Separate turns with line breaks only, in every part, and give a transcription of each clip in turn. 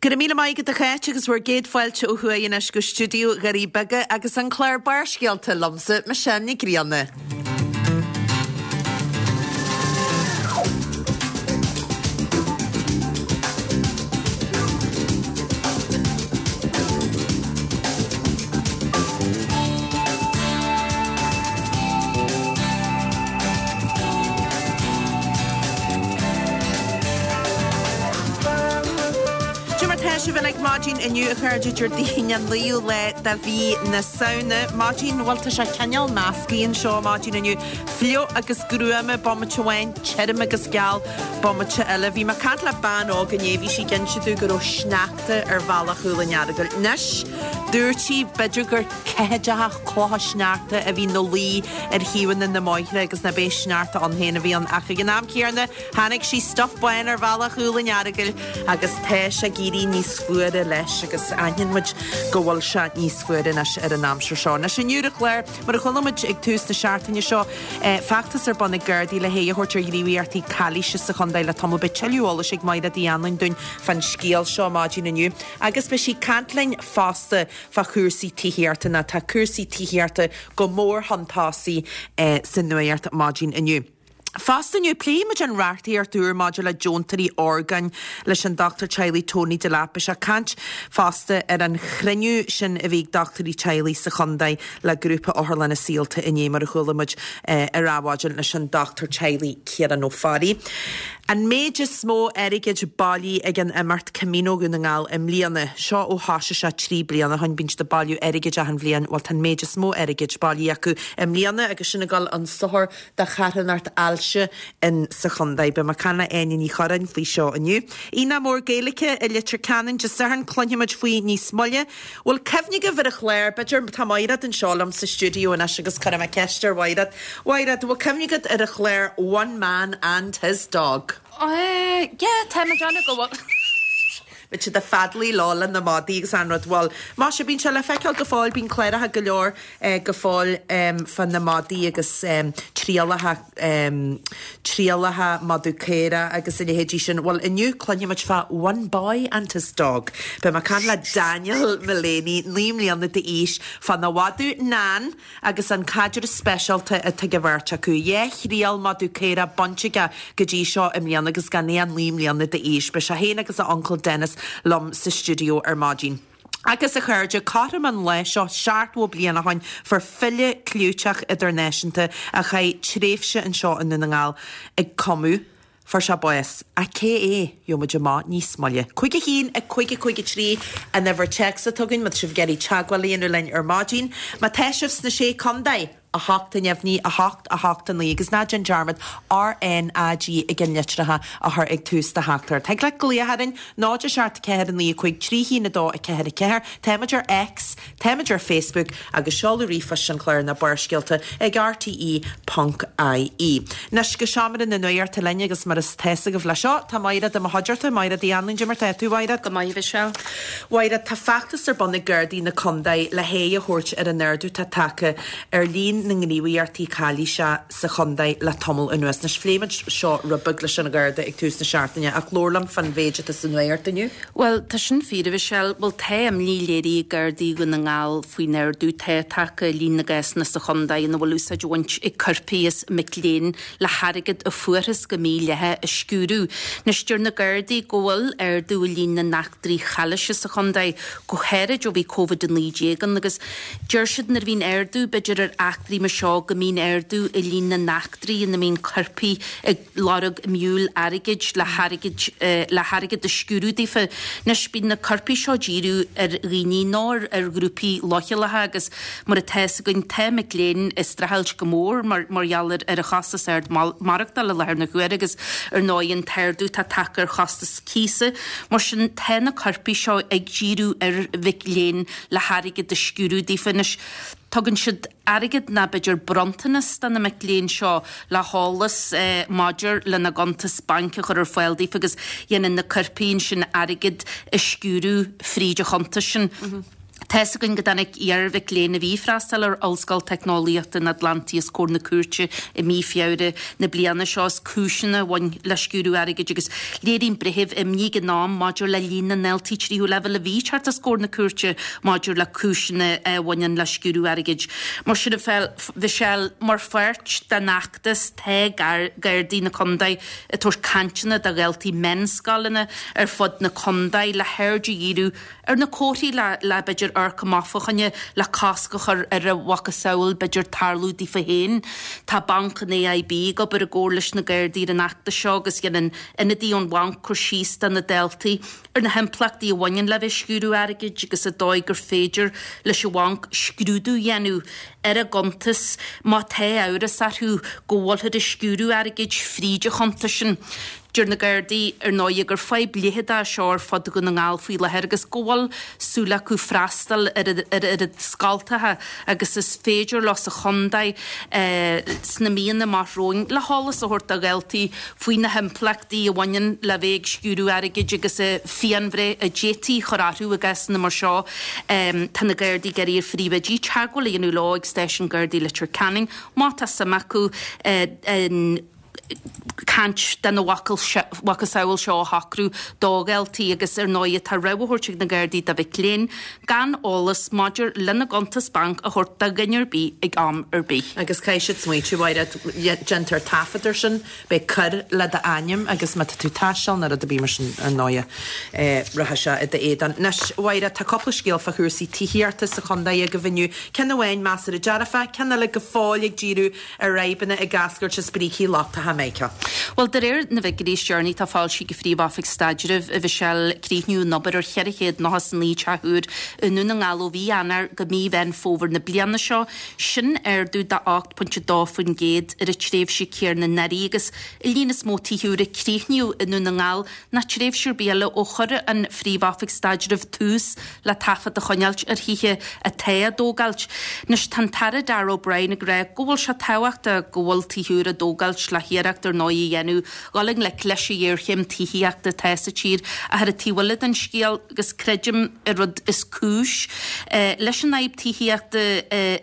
Go raibh míle maith agat a Cháit agus bhur gcéad fáilte ó thuaidh anois go stiúideo Dhoirí Beaga agus an clár Barrscéalta liomsa, Michelle Nic Grianna. Cad é mar tá sibh uilig maidin inniu a chairde Déardaoin an 9ú lá de mhí na Samhna. Maidin, bhuel tá sé cineál measctha anseo maidin inniu. Fliuch agus gruama bomaite amháin, tirim agus geal bomaite eile. Bhí mé ag caint le bean óg inné, bhí sí ag inse domh go raibh sneachta ar bhealach Chúil an Earagail. Anois, dúirt sí, b'fhéidir gur ceathaideacha clocha sneachta a bhí 'na luí ar thaobhanna na mbóithre agus ná b'é sneachta ann féin a bhí ann ach ag an am céanna chonaic sí stuif bán ar bhealach Chúil an Earagail agus tá sé ag éirí níos fuaire leis agus aithníonn muid go bhfuil sé níos fuaire anois ar an aimsir seo. Anois inniu ar an chlár, mar a chuala muid ag tús na seachtaine seo, feachtas ar bun ag Gardaí le haghaidh a thabhairt ar ghníomhaíochtaí calaoise sa chontae le tamall. Beidh tuilleadh eolais ag Mairéad Uí Anluain dúinn fán scéal seo maidin inniu agus beidh sí ag caint linn fosta fá chúrsaí tithíochta nó tá cúrsaí tithíochta go mór chun tosaigh sa nuacht maidin inniu. Fosta inniu, pléifidh muid an reachtaíocht úr maidir le deontóirí orgáin leis an dochtúir teaghlaigh Tony Delap. Beidh sé ag caint fosta ar an chruinniú sin a bhí ag dochtúirí teaghlaigh sa chontae le grúpa Otharlanna Saolta inné, mar a chuala muid ar Adhmhaidin leis an dochtúir teaghlaigh Ciarán Ó Fearraigh. An méid is mó airgid bailithe ag an imeacht Camino Dhún na nGall i mbliana. Seo ó thosaigh sé 3 bliana ó shin. Bíonn siad ag bailiú airgid achan bhliain. Bhuel tá an méid is mó airgid bailithe acu i mbliana agus sin ag dul chun sochair do charthanacht ailse in sa chontae. Beidh mé ag caint le Áine Ní Churráin faoi seo inniu. Aonach Mór Gaeilge i Leitir Ceanainn Dé Sathairn, cluinfidh muid faoi níos moille. Bhfuil cuimhne agaibh ar an chlár, b'fhéidir, tá Maighread anseo liom sa stiúideo anois agus cuirfidh mé ceist ar Mhaighread. Mhaighread, bhfuil cuimhne agat ar an chlár One Man and His Dog?
Eh, yeah, tá mé ag déanamh go bhfuil.
Bhí siad ag feadalaí leo le na madaí agus an rud, bhuel, maise, bíonn sé le feiceáil go fóill, bíonn cláracha go leor go fóill fá na madaí agus trialacha. trialacha madadh caorach agus a leithéidí sin. Bhuel, inniu cluinfidh muid fá One Boy and His Dog. Beidh mé ag caint le Daniel Mullaney, 9 mbliana d'aois, fána mhadadh Nan agus an caidreamh speisialta atá ag an bheirt acu. Dhá thriail madadh caorach bainte aige go dtí seo i mbliana agus gan é ach 9 mbliana d'aois. Beidh sé féin agus a uncail Dennis liom sa stiúideo ar maidin. Agus a chairde, cothrom an lae seo 70 bliain ó shoin fuair file clúiteach idirnáisiúnta a chaith tréimhse anseo i nDún na nGall ag cumadh, fuair sé bás. Ach cé é? Gheobhaidh muid amach níos moille. 5 1 5 5 3 an uimhir téacs atá againn má tá sibh ag iarraidh teagmháil a dhéanamh linn ar maidin. Má tá sibh sna Sé Contae! 8 a neamhní, 8, 8, 9, agus ná déan dearmad RnaG ag an litreacha a chur ag tús do theachtaireacht. Thig leat glaoch orainn, 0 7 4 9 5 3 1 2 4 4. Táimid ar X, táimid ar Facebook agus seoladh ríomhphoist an chláir ná Barrscéalta ag rte ponc ie. Anois go seomra na nuachta linn agus mar is tá 'fhios agaibh leis seo, tá Maighread i mo chuideachta. Maighread Uí Anluain, cad é mar tá tú, a Mhaighread?
Go maith, a Mhichelle.
Mhaighread, tá feachtas ar bun ag Gardaí na Condae le haghaidh a thabhairt ar an ardú atá tagtha ar líon na ngníomhaíochtaí calaoise sa chondae le tamall anuas. Anois, phléigh muid seo rud beag leis an Gharda ag tús na seachtaine ach labhair liom fán mhéid atá sa nuacht inniu.
Bhuel, tá sin fíor, a Mhichelle. Bhuel, tá imní léirithe ag Gardaí Dhún na nGall faoin ardú atá tagtha i líon na gcásanna sa chondae ina bhfuil úsáid á bhaint ag coirpigh as mic léinn le hairgead a fuarthas go mídhleathach a sciúradh. Anois, deir na Gardaí go bhfuil ardú i líon na n-eachtraí chalaoise sa chontae, go háirid ó bhí Covid-19 ann, agus deir siad nuair a bhíonn ardú, b'fhéidir, ar eachtraí mar seo, go mbíonn ardú i líon na n-eachtraí ina mbíonn coirpigh ag lorg miúil airgid le hairgead le hairgead a sciúradh daofa. Anois, bíonn na coirpigh seo ag díriú ar dhaoine nó ar ghrúpaí leochaileacha agus Mar atá fhios againn, tá mic léinn ag streachailt go mór mar mar gheall ar ar an chostas ard maireachtála i láthair na huaire agus ar ndóigh an t-ardú atá tagtha ar chostas cíosa. Mar sin, tá na coirpigh seo ag díriú ar mhic léinn le hairgead a sciúradh daofa. Anois, tugann siad airgead ná b'fhéidir bronntanas do na mic léinn seo le heolas maidir lena gcuntas bainc a chur ar fáil daofa agus dhéanann na coirpigh ansin airgead a sciúradh fríd an chuntas sin. Tá's againn go dtáinig iar-mhic léinn a bhí ag freastal ar Ollscoil Teicneolaíochta an Atlantaigh os comhair na cúirte i mí Feabhra na bliana seo as cúiseanna a bhain le sciúradh airgid agus léirigh an breitheamh imní ag an am maidir le líon na ndaltaí tríú leibhéal a bhí ag teacht os comhair na cúirte maidir le cúiseanna a bhaineann le sciúradh airgid. Mar sin a Mhichelle, mar pháirt den fheachtas tá Gardaí na Contae ag tabhairt cainteanna do dhaltaí meánscoileanna ar fud na contae le haird a dhíriú ar na comharthaí le, le b'fhéidir amharc amach fá choinne, le cosc a chur ar a mhacasamhail b'fhéidir tarlú daofa féin. Tá Banc an AIB ag obair i gcomhar leis na Gardaí ar an fheachtas seo agus dhein an ionadaí ón bhanc cur síos do na daltaí ar na himpleachtaí a bhaineann le bheith ag sciúradh airgid agus an dóigh gur féidir leis an bhanc scrúdú a dhéanamh ar a gcuntas má tá amhras orthu go bhfuilthear ag sciúradh airgid fríd an chuntas sin. Deir na Gardaí, ar ndóigh, gur fadhb leitheadach é seo ar fud Dhún na nGall faoi láthair agus go bhfuil súil acu freastal ar an oiread scoltacha agus is féidir leo sa chontae sna míonna amach romhainn le heolas a thabhairt do dhaltaí faoi na himpleachtaí a bhaineann le bheith ag sciúradh airgid agus an phianbhreith a d'fhéadfaí a chur orthu i gcásanna mar seo. Tá na Gardaí ag iarraidh ar phríomhoidí teagmháil a dhéanamh leo ag Stáisiún Gardaí Leitir Ceanainn má tá suim acu in caint dena mhacasamhail seo a shocrú do dhaltaí agus ar ndóigh tá rabhadh á thabhairt ag na Gardaí do mhic léinn gan eolas maidir lena gcuntas bainc a thabhairt do dhuine ar bith ag am ar bith.
Agus caithfidh siad smaoitiú, Mhairéad, déantar taifead ar sin, beidh coir le d'ainm agus má tá tú ag taisteal nó rud ar bith mar sin ar ndóigh rachaidh sé i d'éadan. Anois, a Mhairéad, tá cúpla scéal fá chúrsaí tithíochta sa chontae agaibh inniu, ceann amháin measartha dearfach, ceann eile go fóill ag díriú ar fhadhbanna ag eascairt as brící lochtacha Mica.
Bhuel, de réir na bhfigiúirí is deireanaí atá foilsithe ag an Phríomh-Oifig Staidrimh, a Mhichelle, críochnaíodh an obair ar 499 teach úr i nDún na nGall ó mhí Eanáir go mí Mheán Fómhair na bliana seo. Sin ardú de 8.2% ar an tréimhse céanna anuraidh agus an líon is mó tithe úr a críochnaíodh i nDún na nGall ná tréimhse ar bith eile ó chuir an Phríomh-Oifig Staidrimh tús le taifead a choinneáilt ar thithe atá á dtógáilt. Anois tá an tAire Darragh O'Brien ag rá go bhfuil sé tábhachtach go bhfuil tithe úr á dtógáilt le hiarracht ar ndóigh a dhéanamh dhul i ngleic leis an ghéarchéim tithíochta atá sa tír ach ar an taobh eile den scéal agus creidim an rud is cúis leis an fhadhb tithíochta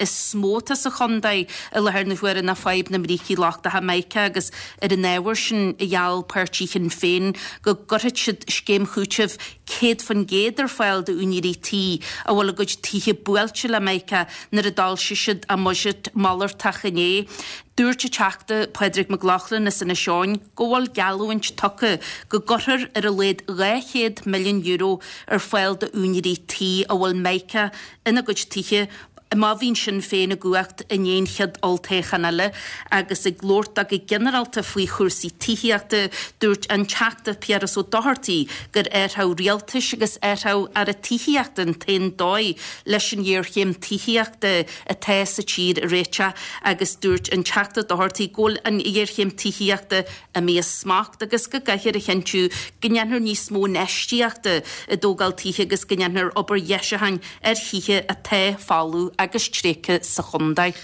is mó atá sa chontae i láthair na huaire ná fadhb na mbrící lochtacha mica agus Ar an ábhar sin, gheall páirtí Shinn Féin go gcuirfeadh siad scéim chúitimh 100% ar fáil d'úinéirí tí a bhfuil a gcuid tithe buailte le mica nuair a d'fhoilsigh siad a mbuiséad malartach inné. Dúirt an Teachta Pádraig Mac Lochlainn as Inis Eoghain go bhfuil geallúint tugtha go gcuirfear ar a laghad €200 milliún ar fáil d'úinéirí tí a bhfuil mica ina gcuid tithe má bhíonn Sinn Féin i gcumhacht i ndiaidh an chéad olltoghchán eile agus ag labhairt dó go ginearálta faoi chúrsaí tithíochta, dúirt an Teachta Piaras Ó Dochartaigh gur athrú rialtais agus athrú Aire Tithíochta an t-aon dóigh leis an ghéarchéim tithíochta atá sa tír a réiteach agus dúirt an Teachta Doherty go bhfuil an ghéarchéim tithíochta imithe as smacht agus go gcaithfear a chinntiú go ndéanfar níos mó infheistíochta i dtógáil tithe agus go ndéanfar obair dheisiúcháin ar thithe atá folamh agus tréigthe sa chontae.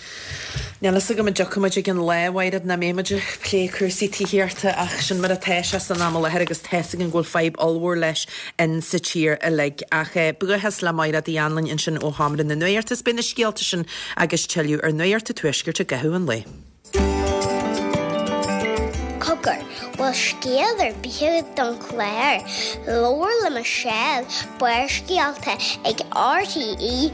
Níl fhios agam an dtiocfaidh muid ag an lá, a Mhairéad, nach mbeidh muid ag plé cúrsaí tithíochta ach sin mar atá sé san am i láthair agus tá's againn go bhfuil fadhb ollmhór leis in sa tír uilig. Ach buíochas le Mairéad Uí Anluain ansin ó Sheomra na Nuachta. Is beidh na scéalta sin agus tuilleadh ar Nuacht an Tuaiscirt i gcaitheamh an lae.
Cogar, bhfuil scéal ar bith agat don chlár? Labhair le Michelle, Barrscéalta ag RTE.ie.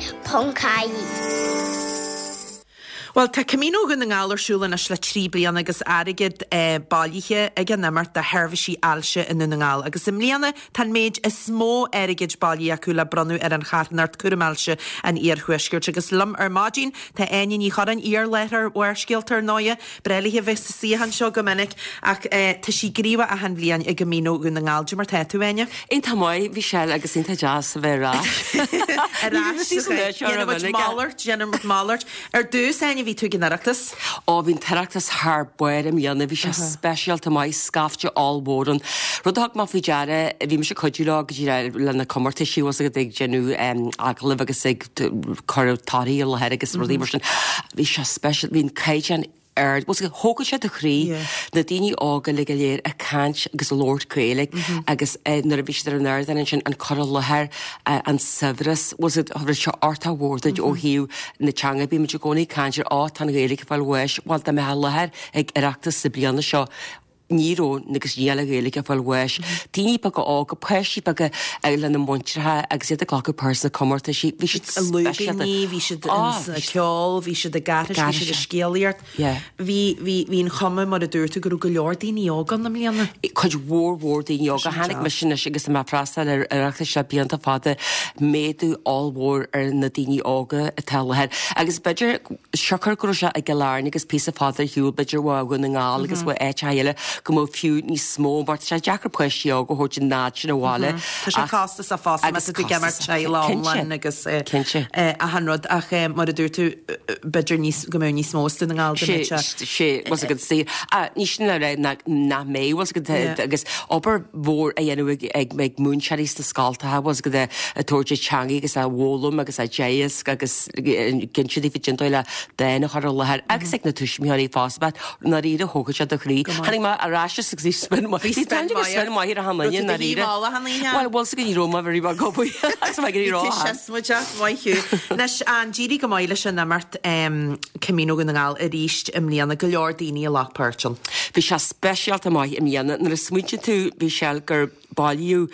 Bhuel, tá Camino Dhún na nGall ar siúl anois le 3 bliana agus airgead bailithe ag an imeacht do sheirbhísí ailse i nDún na nGall. Agus i mbliana tá an méid is mó airgid bailithe acu le bronnadh ar an charthanacht Cúram Ailse an Iarthuaiscirt. Agus liom ar maidin tá Áine Ní Churráin, iar-láithreoir Bharrscéalta ar ndóighe. Breá léi a bheith sa suíochán seo go minic ach tá sí gníomhach achan bhliain i gCamino Dhún na nGall. Cad é mar tá tú, Áine?
Iontach maith, Michelle, agus iontach deas a bheith ar ais.
Ar ais sa Déanfaidh muid malairt, déanfaidh muid malairt. Ar dtús, Áine, bhí tú ag an Oireachtas.
Ó, bhí an tOireachtas thar barr i mbliana, bhí sé speisialta maith, scaifte ollmhór ann. Rud a thug mé faoi deara, bhí mise ag cuidiú leo go dtí le na comórtaisí, bhfuil 's agat, ag déanamh agallamh agus ag cur torthaí i láthair agus rudaí mar sin. Bhí sé speisialta, bhí an caighdeán. ard, bhfuil 's agat, thógfadh sé do chroí, na daoine óga uilig go léir ag caint agus ag labhairt Gaeilge agus nuair a bhí siad ar an ardán ansin, an cur i láthair, an saibhreas, bhfuil 's agat, thug sé ardú mór duit ó thaobh na teanga, bímid i gcónaí ag caint ar, á, tá an Ghaeilge ag fáil bháis, bhuel dá mbeifeá i láthair ag Oireachtas na bliana seo, ní raibh agus níl an Ghaeilge ag fáil bháis. Daoine beaga óga, páistí beaga lena muintreacha agus iad ag glacadh páirt sna comórtaisí, bhí siad speisialta.
Lúibíní, bhí siad sa cheol, bhí siad ag aithris, bhí siad ag scéalaíocht. Bhí, bhí, bhí an chuma, mar a dúirt tú, go raibh go leor daoine óga ann i mbliana.
Cuid mhór mhór daoine óga. Chonaic mise anois agus mé ag freastal ar Oireachtais le blianta fada, méadú ollmhór ar na daoine óga atá i láthair. Agus b'fhéidir, siocair go raibh sé i gCill Airne agus píosa fada ar shiúl, b'fhéidir ó Dhún na nGall agus ó áiteacha eile, go mbeadh fiú níos mó, mar tá sé deacair páistí óga a thabhairt an fhad sin abhaile.
Tá sé costasach fosta má tá tú ag imirt teaghlach iomlán agus achan rud ach mar a dúirt tú, b'fhéidir níos, go mbeadh níos mó as Dún na nGall go mbeadh
sé. Sé, bhfuil 's agat, saor. Ní sin le rá nach mbeidh, bhfuil 's agat, agus obair mhór á dhéanamh ag ag múinteoirí sna scoltacha, bhfuil 's agat, ag tabhairt an teangaidh agus á bhfoghlaim agus á dteagasc agus ag inse daofa cén dóigh le dán a chur i láthair agus ag na tuismitheoirí fosta, but ndáiríre thógfadh sé do chroí. Tháinig mé ar ais agus bhí spion maith, bhí spion maith ar achan duine i ndáiríre. Bhuel, bhfuil 's agat ní raibh mé very well go agus mé ag iarraidh rá.
Bhí tú siosmaideach, maith thú. Anois, an d'éirigh go maith leis an imeacht Camino Dhún na nGall arís i mbliana, go leor daoine a ghlac páirt ann.
Bhí sé speisialta maith i mbliana. Nuair a smaointíonn tú, Michelle, gur bailíodh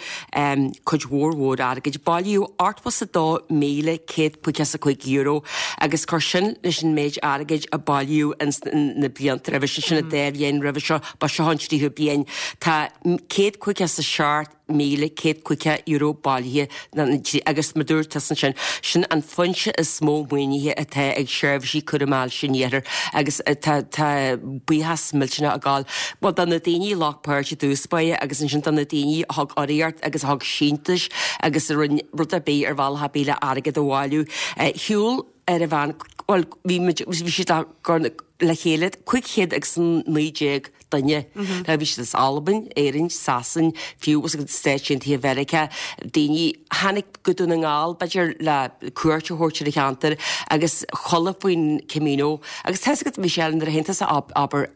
cuid mhór mhór airgid, bailíodh €82,155 agus cuir sin leis an méid airgid a bailíodh ins na blianta roimhe sin, sin an dá bhliain roimhe seo, ba seo an tríú bliain, tá €157,150 bailithe agus mar dúirt tusa ansin, sin an foinse is mó maoinithe atá ag Seirbhísí Cúraim Ailse an Iarthair agus tá tá buíochas millteanach ag gabháil, bhuel, do na daoine a ghlac páirt i dtús báire agus ansin do na daoine a thug urraíocht agus a thug síntiúis agus a rinne rud ar bith ar bhealach ar bith le airgead a bhailiú. Shiúil ar an mheán, bhuel, bhí muid, bhí siad á gcur le chéile, 519 duine. Now bhí siad as Albain, Éirinn, Sasain, fiú agus Stáit Aontaithe Mheiriceá, daoine a tháinig go Dún na nGall, b'fhéidir, le cuairt a thabhairt ar an cheantar agus chuala faoin Camino. Agus tá 'fhios agat, Michelle, nuair a théann tusa abair,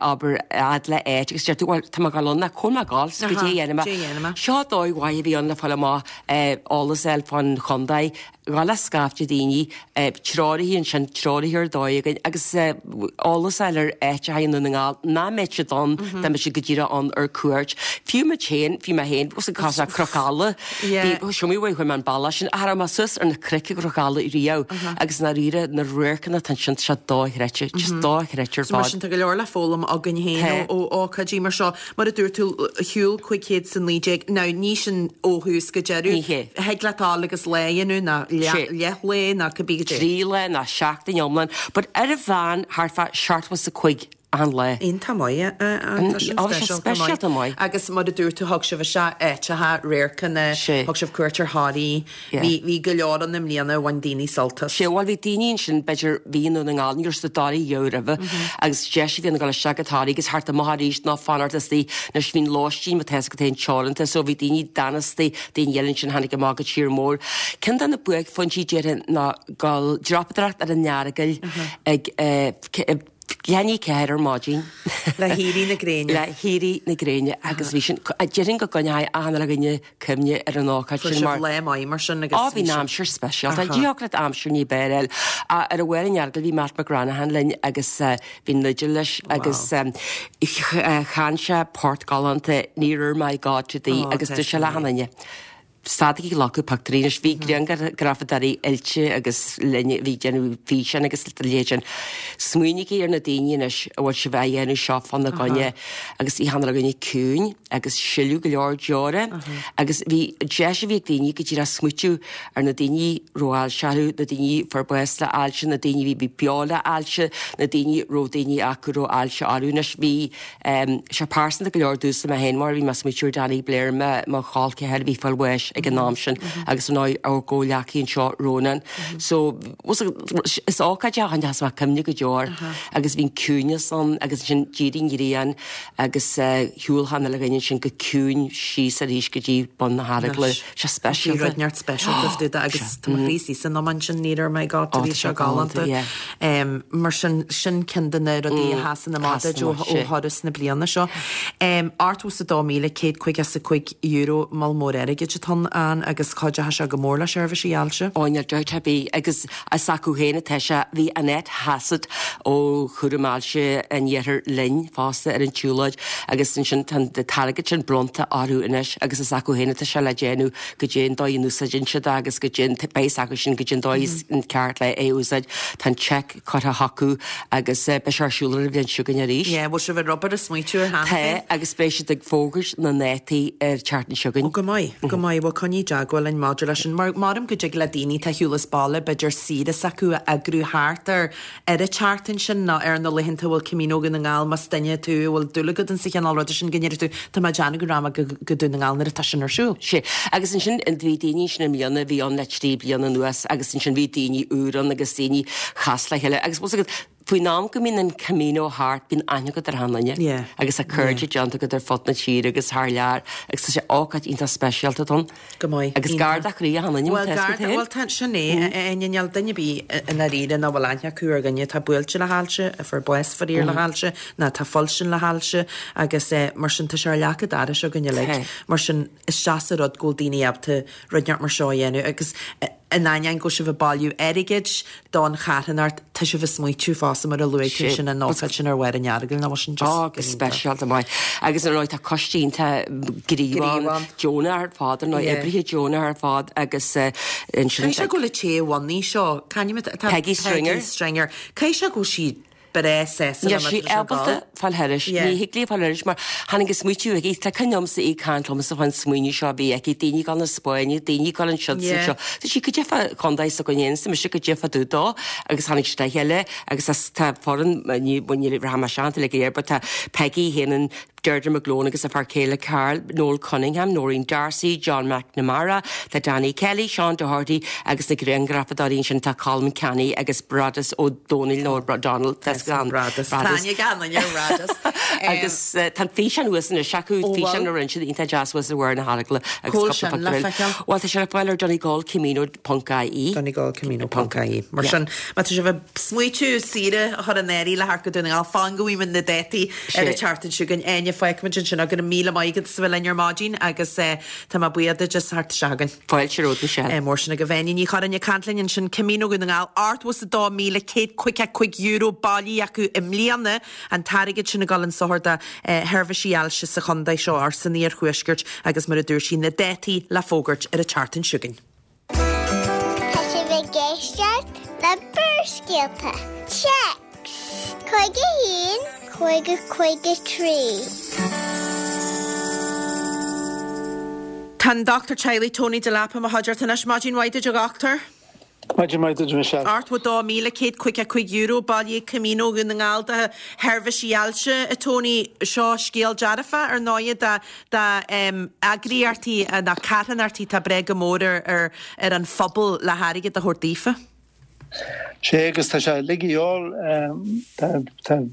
abair fhad le áit agus deir tú, bhuel, tá mé ag dul ann, ach cá bhfuil mé ag dul, goidé a dhéanfaidh mé. Seo dóigh mhaith a bhí ann le fáil amach eolas a fháil fán chontae. Ghabh le scaifte daoine, treoraithe ansin, treoraithe ar dóigh againn agus eolas a fháil ar áiteacha i nDún na nGall nach mbeadh siad ann dá mbeadh siad go díreach ann ar cuairt. Fiú muid féin, fiú mé féin, bhí cos ar Chnoc Alla, bhí, seo mé uaidh, chuaigh mé an bealach sin, ach raibh mé suas ar na cnoic i gCnoc Alla riamh agus i ndáiríre na radharcanna atá ansin, tá sé dochreidte, just dochreidte ar
So mar
fad.
sin tá go leor le foghlaim againn féin ó ócáidí mar seo. Mar a dúirt tú, shiúil 519, now ní sin ó thús go deireadh.
Ní hea.
Thig leat dul agus lá a dhéanamh nó leathlae nó cibé goidé.
3 lá nó seachtain iomlán, but ar an mheán thart fá 75 achan lá.
Iontach maith, tá sin speisialta maith. Agus mar a dúirt tú, thug sibh isteach áiteacha, radharcanna, thug sibh cuairt ar Thoraí. Bhí, bhí go leor ann i mbliana a bhain daoine sult as.
Sea, bhuel bhí daoine ansin, b'fhéidir, bhí i nDún na nGall, ní raibh siad i dToraí riamh roimhe agus deis a bhí ann a dhul isteach go Toraí agus theacht amach arís nó fanacht istigh. Anois bhí an lóistín, má tá 'fhios agat féin, teoranta so bhí daoine d'fhan istigh, daoine eile ansin tháinig amach go tír mór. Ceann de na buaicphointí déarfainn ná dul dreapadóireacht ar an Earagail ag eh, leath i ndiaidh 4 ar maidin.
Le héirí na gréine.
Le héirí na gréine agus bhí sin, déarfainn go gcoinneoidh achan uile dhuine cuimhne ar an ócáid
sin mar. Fuair sibh lá maith mar sin agus.
Á bhí an aimsir speisialta. Ní thiocfadh leat aimsir ní b'fhearr a fháil. Ar an bharr an Earagail bhí Matt McGranaghan linn agus bhí an fhidil leis agus chan sé port galánta Nearer My God to Thee agus dúirt sé le achan duine. Stadaigí ag glacadh pictiúirí anois. Bhí grianghrafadóirí oilte agus linn a bhí ag déanamh físeáin agus a leithéid sin. Smaoinígí ar na daoine anois a bhfuil sibh á dhéanamh seo fána gcoinne agus bhí achan uile dhuine ciúin agus sileadh go leor deora agus bhí deis a bhí ag daoine go díreach smaoitiú ar na daoine a raibh ailse orthu, na daoine a fuair bás le ailse, na daoine a bhí beo le ailse, na daoine a raibh daoine acu a raibh ailse orthu. Anois bhí sé pearsanta go leor domhsa mé féin mar bhí mé ag smaoitiú ar Danny Blair, mo chol ceathar a bhí ag fáil bháis. leis ag an am sin agus ar ndóigh ár gcomhghleacaí anseo, Rónán. So, is ócáid é a choinneochas mé cuimhne go deo air agus bhí an ciúineas ann agus ansin d'éirigh an ghrian agus shiúil achan uile dhuine ansin go ciúin síos arís go dtí bun na hEaragla. Sé
speisialta. Bhí rud inteacht speisialta fá dtaobh de agus tá mo chroí istigh san iomáint sin ní raibh mé ag tabhairt bhí sé galánta. Mar sin, sin ceann de na rudaí a sheasann amach duit ó thuras na bliana seo. €82,155 moll mór airgid atá ann agus cuideoidh sé go mór le seirbhísí ailse.
Ó níl dabht ar bith agus is acu féin atá sé. Bhí Annette Hassett ó Chúram Ailse an Iarthair linn fosta ar an tsiúlóid agus ansin tá an t-airgead sin bronnta orthu anois agus is acu féin atá sé le déanamh goidé an dóigh a n-úsáideann siad é agus goidé an, beidh a fhios acu sin goidé an dóigh is an ceart le é a úsáid. Tá an cheque curtha chucu agus beidh sé ar siúl ar an bhliain seo chugainn arís.
Yeah, bhfuil sibh ag obair ag smaoitiú air cheana
féin? Tá, agus beidh siad ag fógairt na ndátaí ar an tseachtain seo chugainn.
Ó go maith, go maith, bhuel coinnigh i dteagmháil linn maidir leis sin, mar maram go dtig le daoine atá ar shiúl as baile b'fhéidir saoire s'acu a eagrú thart ar ar an tseachtain sin nó ar na laethanta a bhfuil Camino Dhún na nGall, más duine tú a bhfuil dúil agat insa chineál ruda sin, go ndéarfaidh tú, tá mé ag déanamh go rachaidh mé go Dún na nGall nuair atá sin ar siúl.
Sea, agus ansin bhí daoine ansin i mbliana a bhí ann le 3 bliana anuas agus ansin bhí daoine úr ann agus daoine chas le chéile agus bhfuil 's agat, faoin am go mbíonn an Camino thart bíonn aithne agat ar achan duine
Yeah.
agus tá cairde déanta agat ar fud na tíre agus thar lear agus tá sé ócáid iontach speisialta ann.
Go maith.
Agus gar do chroí achan duine,
Bhuel, gar do, bhuel, tá, sin é, a Áine, níl duine ar bith i ndáiríre nach bhfuil aithne acu ar dhuine atá buailte le hailse, a fuair bás faraor le hailse, nó atá ag fuilsint le hailse, agus mar sin tá sé ar leac an dorais againn uilig. Mar sin, is deas an rud go bhfuil daoine ábalta rud inteacht mar seo a dhéanamh agus in ainneoin go bhfuil sibh ag bailiú airgid don charthanacht, tá sibh ag smaoitiú fosta mar a luaigh tú ansin an ócáid sin ar bharr an Earagail, nach bhfuil sin just
Ó, go speisialta maith. Agus ar ndóigh tá coiste iontach gníomhach ann, deonach ar fad, ar ndóigh, oibrithe deonach ar fad agus
ansin. Caithfidh sé go bhfuil an té a bhunaigh seo, c'ainm atá,
Peggy Stringer.
Peggy Stringer. Caithfidh sé go bhfuil sí breá sásta
Níl sí ábalta fáil thairis. Ní thig léi fáil thairis mar tháinig an smaoitiú chuici. Tá cuimhne agamsa í ag caint liomsa fán smaoineamh seo a bhí aici, daoine ag dul na Spáinne, daoine ag dul anseo is anseo. Tá sí goidé fá chontae s'againn féin, is mise goidé fá dtaobh dó agus tháinig siad le chéile agus tá foireann, ní rachaidh mé isteach iontu uilig go léir but tá Peggy féin an Deirdre McGlone agus a fear céile Karl, Noel Cunningham, Noreen D'Arcy, John McNamara, tá Danny Kelly, Seán Doherty agus na grianghrafadóirí ansin tá Colm Canny agus Brodas Ó Dónaill nó O'Donnell
Brodas.
Agus tá an físeán thuas anois acu, físeán a rinne siad iontach deas thuas ar bharr na hEaragla agus cúpla pictiúr eile. Bhuel tá sé le fáil ar
donegalcamino ponc ie. donegalcamino ponc ie. Mar sin, má tá sibh ag smaoitiú saoire a chur in áirithe le theacht go Dún na nGall, fan go bhfaighimid na dátaí ar an tseachtain seo chugainn. Áine, fágfaimid ansin go raibh míle maith agat as a bheith linn ar maidin agus tá mé buíoch duit as theacht isteach
chugainn. Fáilte romhat
Michelle. Mar sin agaibh Áine Ní Churráin ag caint linn ansin, Camino Dhún na nGall, €82,155 bailithe acu i mbliana, an t-airgead sin ag dul chun sochair do sheirbhísí ailse sa chontae seo, or san iarthuaisceart agus mar a dúirt sí, na dátaí le fógairt ar an tseachtain seo chugainn.
Tá sibh ag éisteacht le Barrscéalta. Téacs 51 50 53.
Tá an Dochtúir Teaghlaigh Tony Delap i mo chuideachta anois. Maidin mhaith duit a dhochtúir.
Maidin mhaith duit, Michelle.
€82,155 bailithe ag Camino Dhún na nGall do sheirbhísí ailse, a Tony. Seo scéal dearfach, ar ndóighe, do eagraíochtaí nó carthanachtaí atá ag brath go mór ar an phobal le hairgead a thabhairt daofa.
Sea, agus tá sé uilig a dhíobháil.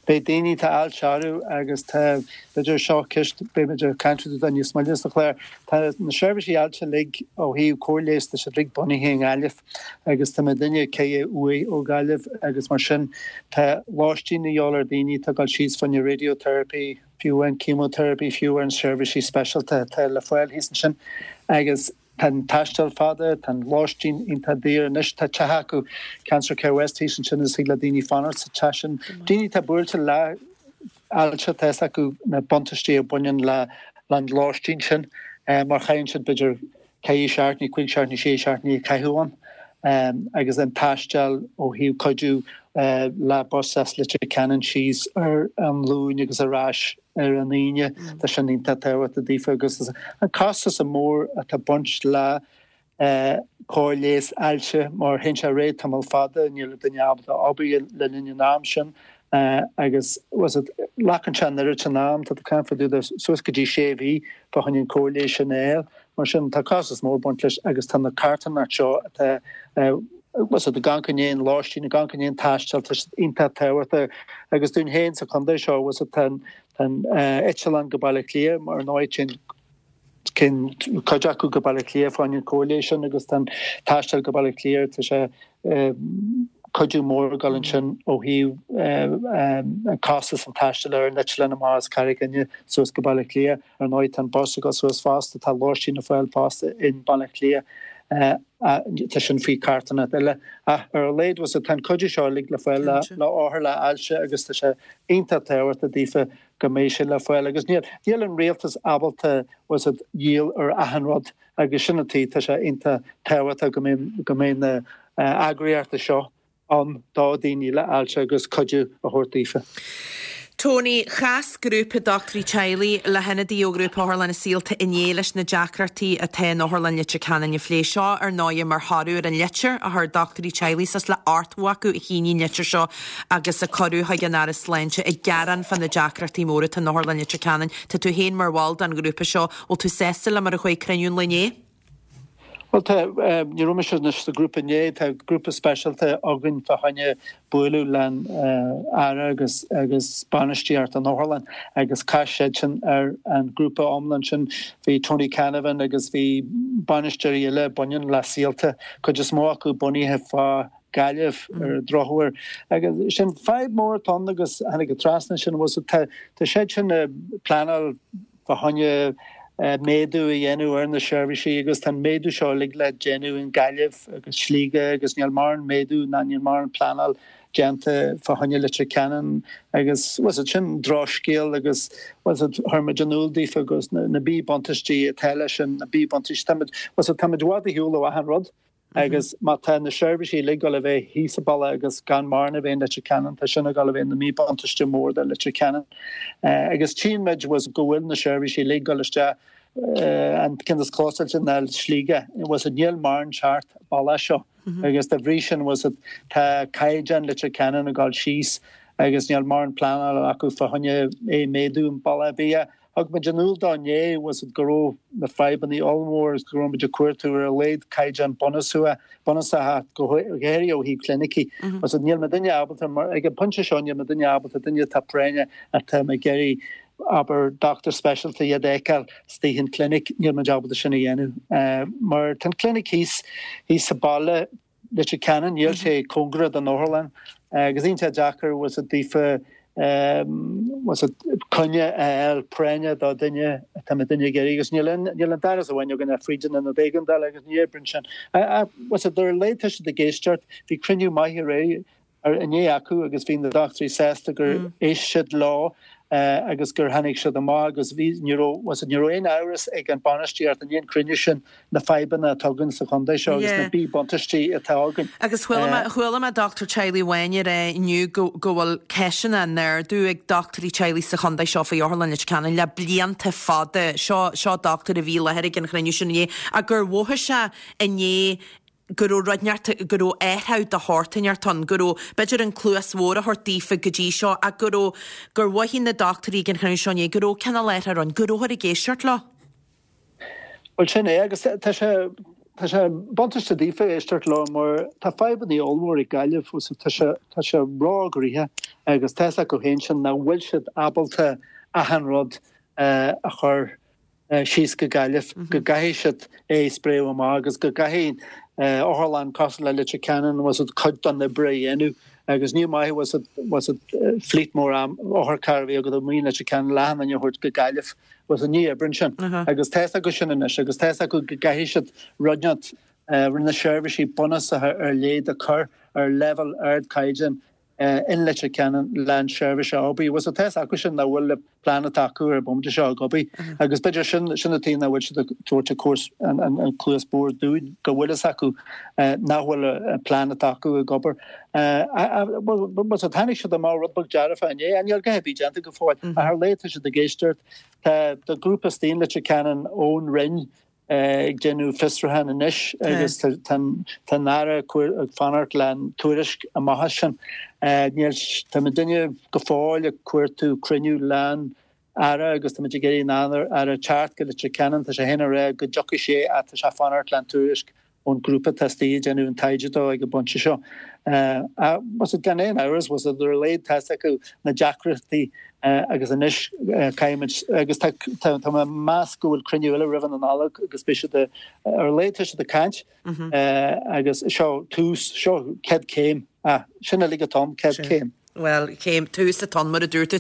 Beidh daoine atá ailse orthu agus tá, b'fhéidir, seo ceist, beidh muid ag caint fá dtaobh de níos moille sa chlár. Tá na seirbhísí ailse uilig ó thaobh cóir leighis, tá siad uilig bunaithe i nGaillimh agus tá mé duine ceithre uaidh ó Ghaillimh agus mar sin tá lóistín a dhíobháil ar daoine atá ag dul síos fá choinne radiotherapy, fiú amháin chemotherapy, fiú amháin seirbhísí speisialta atá le fáil thíos ansin agus tá an taisteal fada, tá an lóistín iontach daor. Anois tá teach acu, Cancer Care West thíos ansin agus thig le daoine fanacht sa teach sin. Daoine atá buailte le ailse, tá fhios acu na buntáistí a bhaineann le an lóistín sin mar chaitheann siad b'fhéidir 4 seachtainí, 5 seachtainí, 6 seachtainí ag caitheamh ann agus an taisteal ó thaobh cuidiú le bus as Leitir Ceanainn síos ar an Luain agus ar ais ar an Aoine, tá sin iontach tábhachtach daofa agus an costas mór atá ag baint le cóir leighis ailse mar théann sé ar aghaidh tamall fada, níl an duine ábalta obair le linn an am sin agus glacann sé an oiread sin am, tá tú ag caint fá dtaobh de suas go dtí sé mhí fá choinne an cóir leighis sin a fháil. Mar sin, tá costas mór ag baint leis agus tá na carthanachtaí seo atá bhfuil ag amharc i ndiaidh an lóistín, ag amharc i ndiaidh an taistil, tá siad iontach tábhachtach agus dúinn féin sa chontae seo, bhfuil tá an eitleán go Baile Átha Cliath mar ndóigh téann cinn cuid acu go Baile Átha Cliath fá choinne an chóir leighis sin agus tá an taisteal go Baile Átha Cliath tá sé cuidiú mór ag dul ansin ó thaobh an costas an taistil ar an eitleán amach as Carraig Fhinne suas go Baile Átha Cliath. Ar ndóigh tá an bus ag dul suas fosta, tá lóistín le fáil fosta in Baile Átha Cliath, tá sin faoi carthanacht eile. Ach ar a laghad bhfuil tá an cuidiú seo uilig le fáil le othair le ailse agus tá sé iontach tábhachtach daofa go mbeidh sé le fáil agus níl níl an rialtas ábalta bhfuil siad dhíol ar achan rud agus sin an tuige tá sé iontach tábhachtach go mbeidh go mbeidh na eagraíochtaí seo ann do dhaoine le ailse agus cuidiú a thabhairt daofa.
Tony, Chas grúpa dochtúirí teaghlaigh le hionadaí ó Ghrúpa Otharlanna Saolta inné leis na deacrachtaí atá in Otharlann Leitir Ceanainn a phlé. Seo, ar ndóighe, mar thoradh ar an litir a chuir dochtúirí teaghlaigh suas le 80 acu a shínigh an litir seo agus a cuireadh chuig an Aire Sláinte ag gearán fá na deacrachtaí móra atá in Otharlann Leitir Ceanainn. Tá tú féin mar bhall den ghrúpa seo. Bhfuil tú sásta le mar a chuaigh cruinniú an lae inné?
Bhuel tá, ní raibh mise anois sa ghrúpa inné, tá grúpa speisialta againn fá choinne bualadh le'n Aire agus agus bainistíocht an otharlann agus chas siadsan ar an ghrúpa iomlán sin. Bhí Tony Canavan agus bhí bainisteoirí eile baineann le Saolta, cuid is mó acu bunaithe fá Gaillimh ar an drochuair. Agus sin fadhb mór atá ann agus tháinig trasna sin, bhfuil tá tá siadsan ag pleanáil fá choinne méadú a dhéanamh ar na seirbhísí agus tá an méadú seo uilig le déanamh in Gaillimh agus Sligeach agus níl mórán méadú ná níl mórán pleanáil déanta fá choinne Leitir Ceanainn agus bhfuil siad sin drochscéal agus bhfuil siad chuir muid in iúl daofa agus na míbhuntáistí atá leis sin na míbhuntáistí táimid bhfuil siad táimid i bhfad ar shiúl ó achan rud. Agus má tá na seirbhísí uilig ag dul a bheith thíos sa baile agus gan mórán a bheith in Leitir Ceanainn, tá sin ag dul a bheith ina míbhuntáiste mór do Leitir Ceanainn. Agus tchíonn muid go bhfuil na seirbhísí uilig ag dul isteach, an ceann is clósáilte ná Sligeach, bhfuil siad, níl mórán teacht bealach seo. Agus dá bhrí sin, bhfuil siad, tá caighdeán Leitir Ceanainn ag dul síos agus níl mórán pleanála acu fá choinne é méadú an bealach ar bith. Thug muid in iúl dó inné, bhfuil siad, go raibh na fadhbanna ollmhór agus go raibh muid ag cuartú ar a laghad caighdeán bunúsach, bunúsacha, go háirithe ó thaobh clinicí. Bhfuil siad, níl muidinne ábalta, mar ag an bpointe seo níl muidinne ábalta duine atá práinneach atá ag iarraidh, abair, dochtúir speisialta iad a fheiceáil istigh in clinic, níl muid ábalta sin a dhéanamh. Mar tá an clinic thíos, thíos sa baile, Leitir Ceanainn, níl sé cóngarach don otharlann agus iontach deacair bhfuil siad daofa bhfuil siad coinne a fháil práinneach do duine atá muidinne ag iarraidh agus níl aon níl aon dara amháin againn ach fríd an ionad éigeandála agus ní oibríonn sin. Bhfuil siad ar a laghad tá siad ag éisteacht, bhí cruinniú maith aréir inné acu agus bhí na dochtúirí sásta gur éist siad leo agus gur tháinig siad amach agus bhí, ní raibh, bhfuil siad, ní raibh aon amhras ag an bainistíocht i ndiaidh an cruinniú sin na fadhbanna atá againn sa chontae seo agus na míbhuntáistí atá againn.
Agus chuala mé, chuala mé dochtúir teaghlaigh amháin ag rá inniu go, go bhfuil ceisteanna á n-ardú ag dochtúirí teaghlaigh sa chontae seo faoi Otharlann Leitir Ceanainn le blianta fada. Seo, seo dochtúir a bhí i láthair ag an chruinniú sin inné ach gur mhothaigh sé inné go raibh rud inteacht, go raibh athrú de shórt inteacht ann, go raibh, b'fhéidir an cluas bhodhar a thabhairt daofa go dtí seo ach go raibh, gur mhothaigh na dochtúirí ag an chruinniú seo inné go raibh cineál athrú ann, go rabhthar ag éisteacht leo.
Bhuel sin é agus tá sé, tá sé buntáiste daofa éisteacht leo mar tá fadhbanna ollmhór ag Gaillimh agus tá sé, tá sé ró-ghnoitheach agus tá fhios acu féin sin nach bhfuil siad ábalta achan rud a chur síos go Gaillimh, go gcaithfidh siad é a spréadh amach agus go gcaithfidh otharlann cosúil le Leitir Ceanainn bhfuil siad cuid den oibre a dhéanamh agus ní maith bhfuil siad bhfuil siad fleet mór otharcharr a bhí agat amuigh in Leitir Ceanainn le achan duine a thabhairt go Gaillimh bhfuil siad ní oibríonn sin agus tá fhios acu sin anois agus tá fhios acu go gcaithfidh siad rud inteacht na seirbhísí bunúsacha ar leith a chur ar leibhéal ardchaighdeáin in Leitir Ceanainn le an seirbhís a obair. Bhfuil tá fhios acu sin nach bhfuil an plean atá acu ar an bomaite seo ag obair agus b'fhéidir sin sin an tuige nach bhfuil siad ag tabhairt an cúrs an an cluas bhodhar dúinn go bhfuil fhios acu nach bhfuil an plean atá acu ag obair. Bhuel so tháinig siad amach rud beag dearfach inné níl a dhath ar bith déanta go fóill ach ar a laghad tá siad ag éisteacht. Tá tá grúpa istigh in Leitir Ceanainn ón Roinn ag déanamh fiosrúchán anois agus tá an Aire ag fanacht le an tuairisc amach as sin. Níl, tá muidinne go fóill ag cuartú cruinniú le'n. Aire agus táimid ag iarraidh an Aire teacht go Leitir Ceanainn. Tá sé féin ag rá go dtiocfaidh sé ach tá sé ag fanacht le an tuairisc ón grúpa atá istigh ag déanamh an taighde dó ag an bpointe seo. Bhfuil 's agat gan aon amhras, bhfuil 's agat ar a laghad tá's acu na deacrachtaí agus anois caithfimid agus tá tá mé ag meas go bhfuil cruinniú eile roimh an Nollaig agus beidh siad ar a laghad tá siad ag caint agus seo tús, seo céad céim. Sin uilig atá ann, céad céim.
Bhuel, céim, tús atá ann, mar a dúirt tú.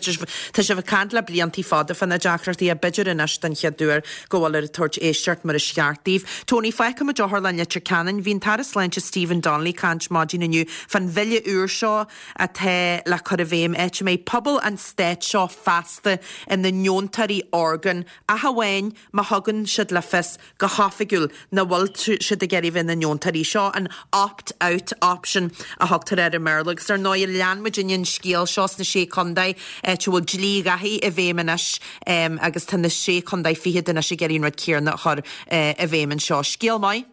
Tá sibh ag caint le bliantaí fada fá na deacrachtaí ach b'fhéidir anois den chéad uair go bhfuil ag tabhairt éisteacht mar is ceart daoibh. Tony, fágfaimid Otharlann Leitir Ceanainn. Bhí an tAire Sláinte Stephen Donnelly ag caint maidin inniu fán bhille úr seo atá le cur i bhfeidhm, áit a mbeidh pobal an stáit seo feasta ina ndeontóirí orgán, ach amháin má thugann siad le fios go hoifigiúil nach bhfuil siad ag iarraidh bheith ina ndeontóirí. Seo an opt out option a thugtar air i mBéarla agus ar ndóigh lean muidinne an scéal seo sna Sé Contae áit a bhfuil dlí Dháithí i bhfeidhm anois agus tá na Sé Contae fichead anois ag iarraidh an rud céanna a chur i bhfeidhm anseo. Scéal maith.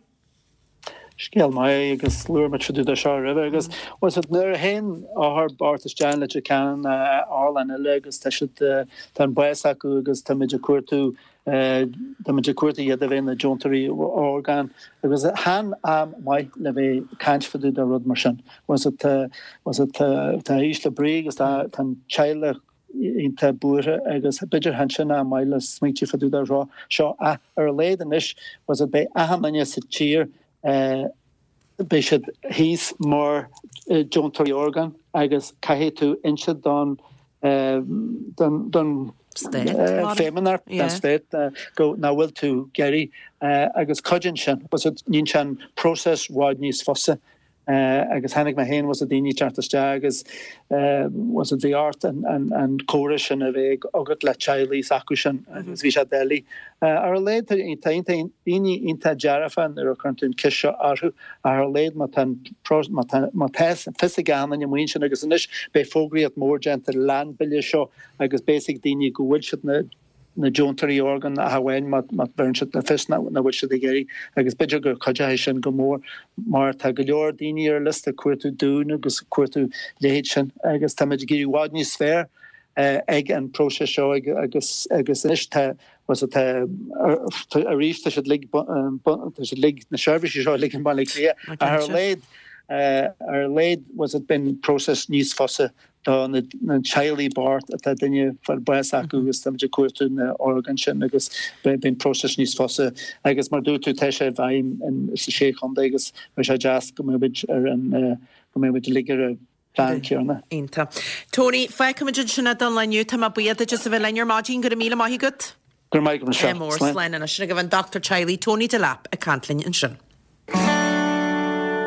Scéal maith agus labhair muid fá dtaobh de seo roimhe agus bhfuil 's agat nuair a théann othar bocht isteach in Leitir Ceanainn otharlann eile agus tá siad tá an bás acu agus táimid ag cuartú táimid ag cuartú iad a bheith ina deontóirí orgán agus chan am maith le bheith ag caint fá dtaobh de rud mar sin. Bhfuil 's agat bhfuil 's agat tá ísle brí agus tá an teaghlach iontach buartha agus b'fhéidir chan sin am maith le smaointiú fá dtaobh de seo seo ach ar a laghad anois bhfuil 's agat beidh achan duine sa tír beidh siad thíos mar deontóirí orgán agus caithfidh tú inse don don don Feidhmeannacht don Stát go nach bhfuil tú ag iarraidh agus cuidíonn sin bhfuil 's agat níonn sé an próiseas i bhfad níos fusa. Agus chonaic mé féin bhfuil 's agat daoine ag teacht isteach agus bhfuil 's agat bhí ort an comhrá sin a bheith agat le teaghlaigh s'acu sin agus bhí sé doiligh. Ar a laghad tá daoine iontach dearfa nuair a chuireann tú an ceist seo orthu ach ar a laghad má tá má tá má tá fios ag achan duine amuigh ansin agus anois beidh fógraíocht mór déanta leis an bille seo agus beidh a fhios ag daoine go bhfuil siad na na deontóirí orgán ach amháin má bheireann siad le fios nach bhfuil siad ag iarraidh agus b'fhéidir gur cuideoidh sin go mór mar tá go leor daoine ar liosta ag cuartú dún agus ag cuartú leithéid sin agus táimid ag éirí i bhfad níos fearr ag an próiseas seo agus agus anois tá tá arís tá siad uilig tá siad uilig na seirbhísí seo uilig i mBaile Átha Cliath ach ar a laghad ar a laghad bhfuil 's agat beidh an próiseas níos fusa do na teaghlaigh bocht atá duine ag fáil bás acu agus táimid ag cuartú na orgáin sin agus beidh an próiseas níos fusa agus mar dúirt tú tá sé i bhfeidhm sa sé chontae agus beidh sé deas go mbeidh muid ar an go mbeidh muid uilig ar an bplean céanna.
Iontach. Tony, fágfaimid ansin é don lá inniu. Tá mé buíoch duit as a bheith linn ar maidin. Go raibh míle maith agat.
Go raibh maith agat Michelle.
Ádh mór. Slán anois. Sin agaibh an dochtúir teaghlaigh Tony Delap ag caint linn ansin.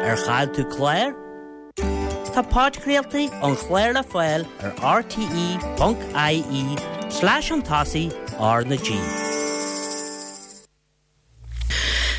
Ar chaill tú clár? Tá podchraoltaí an chláir le fáil ar rte.ie slash chun tosaigh R na G.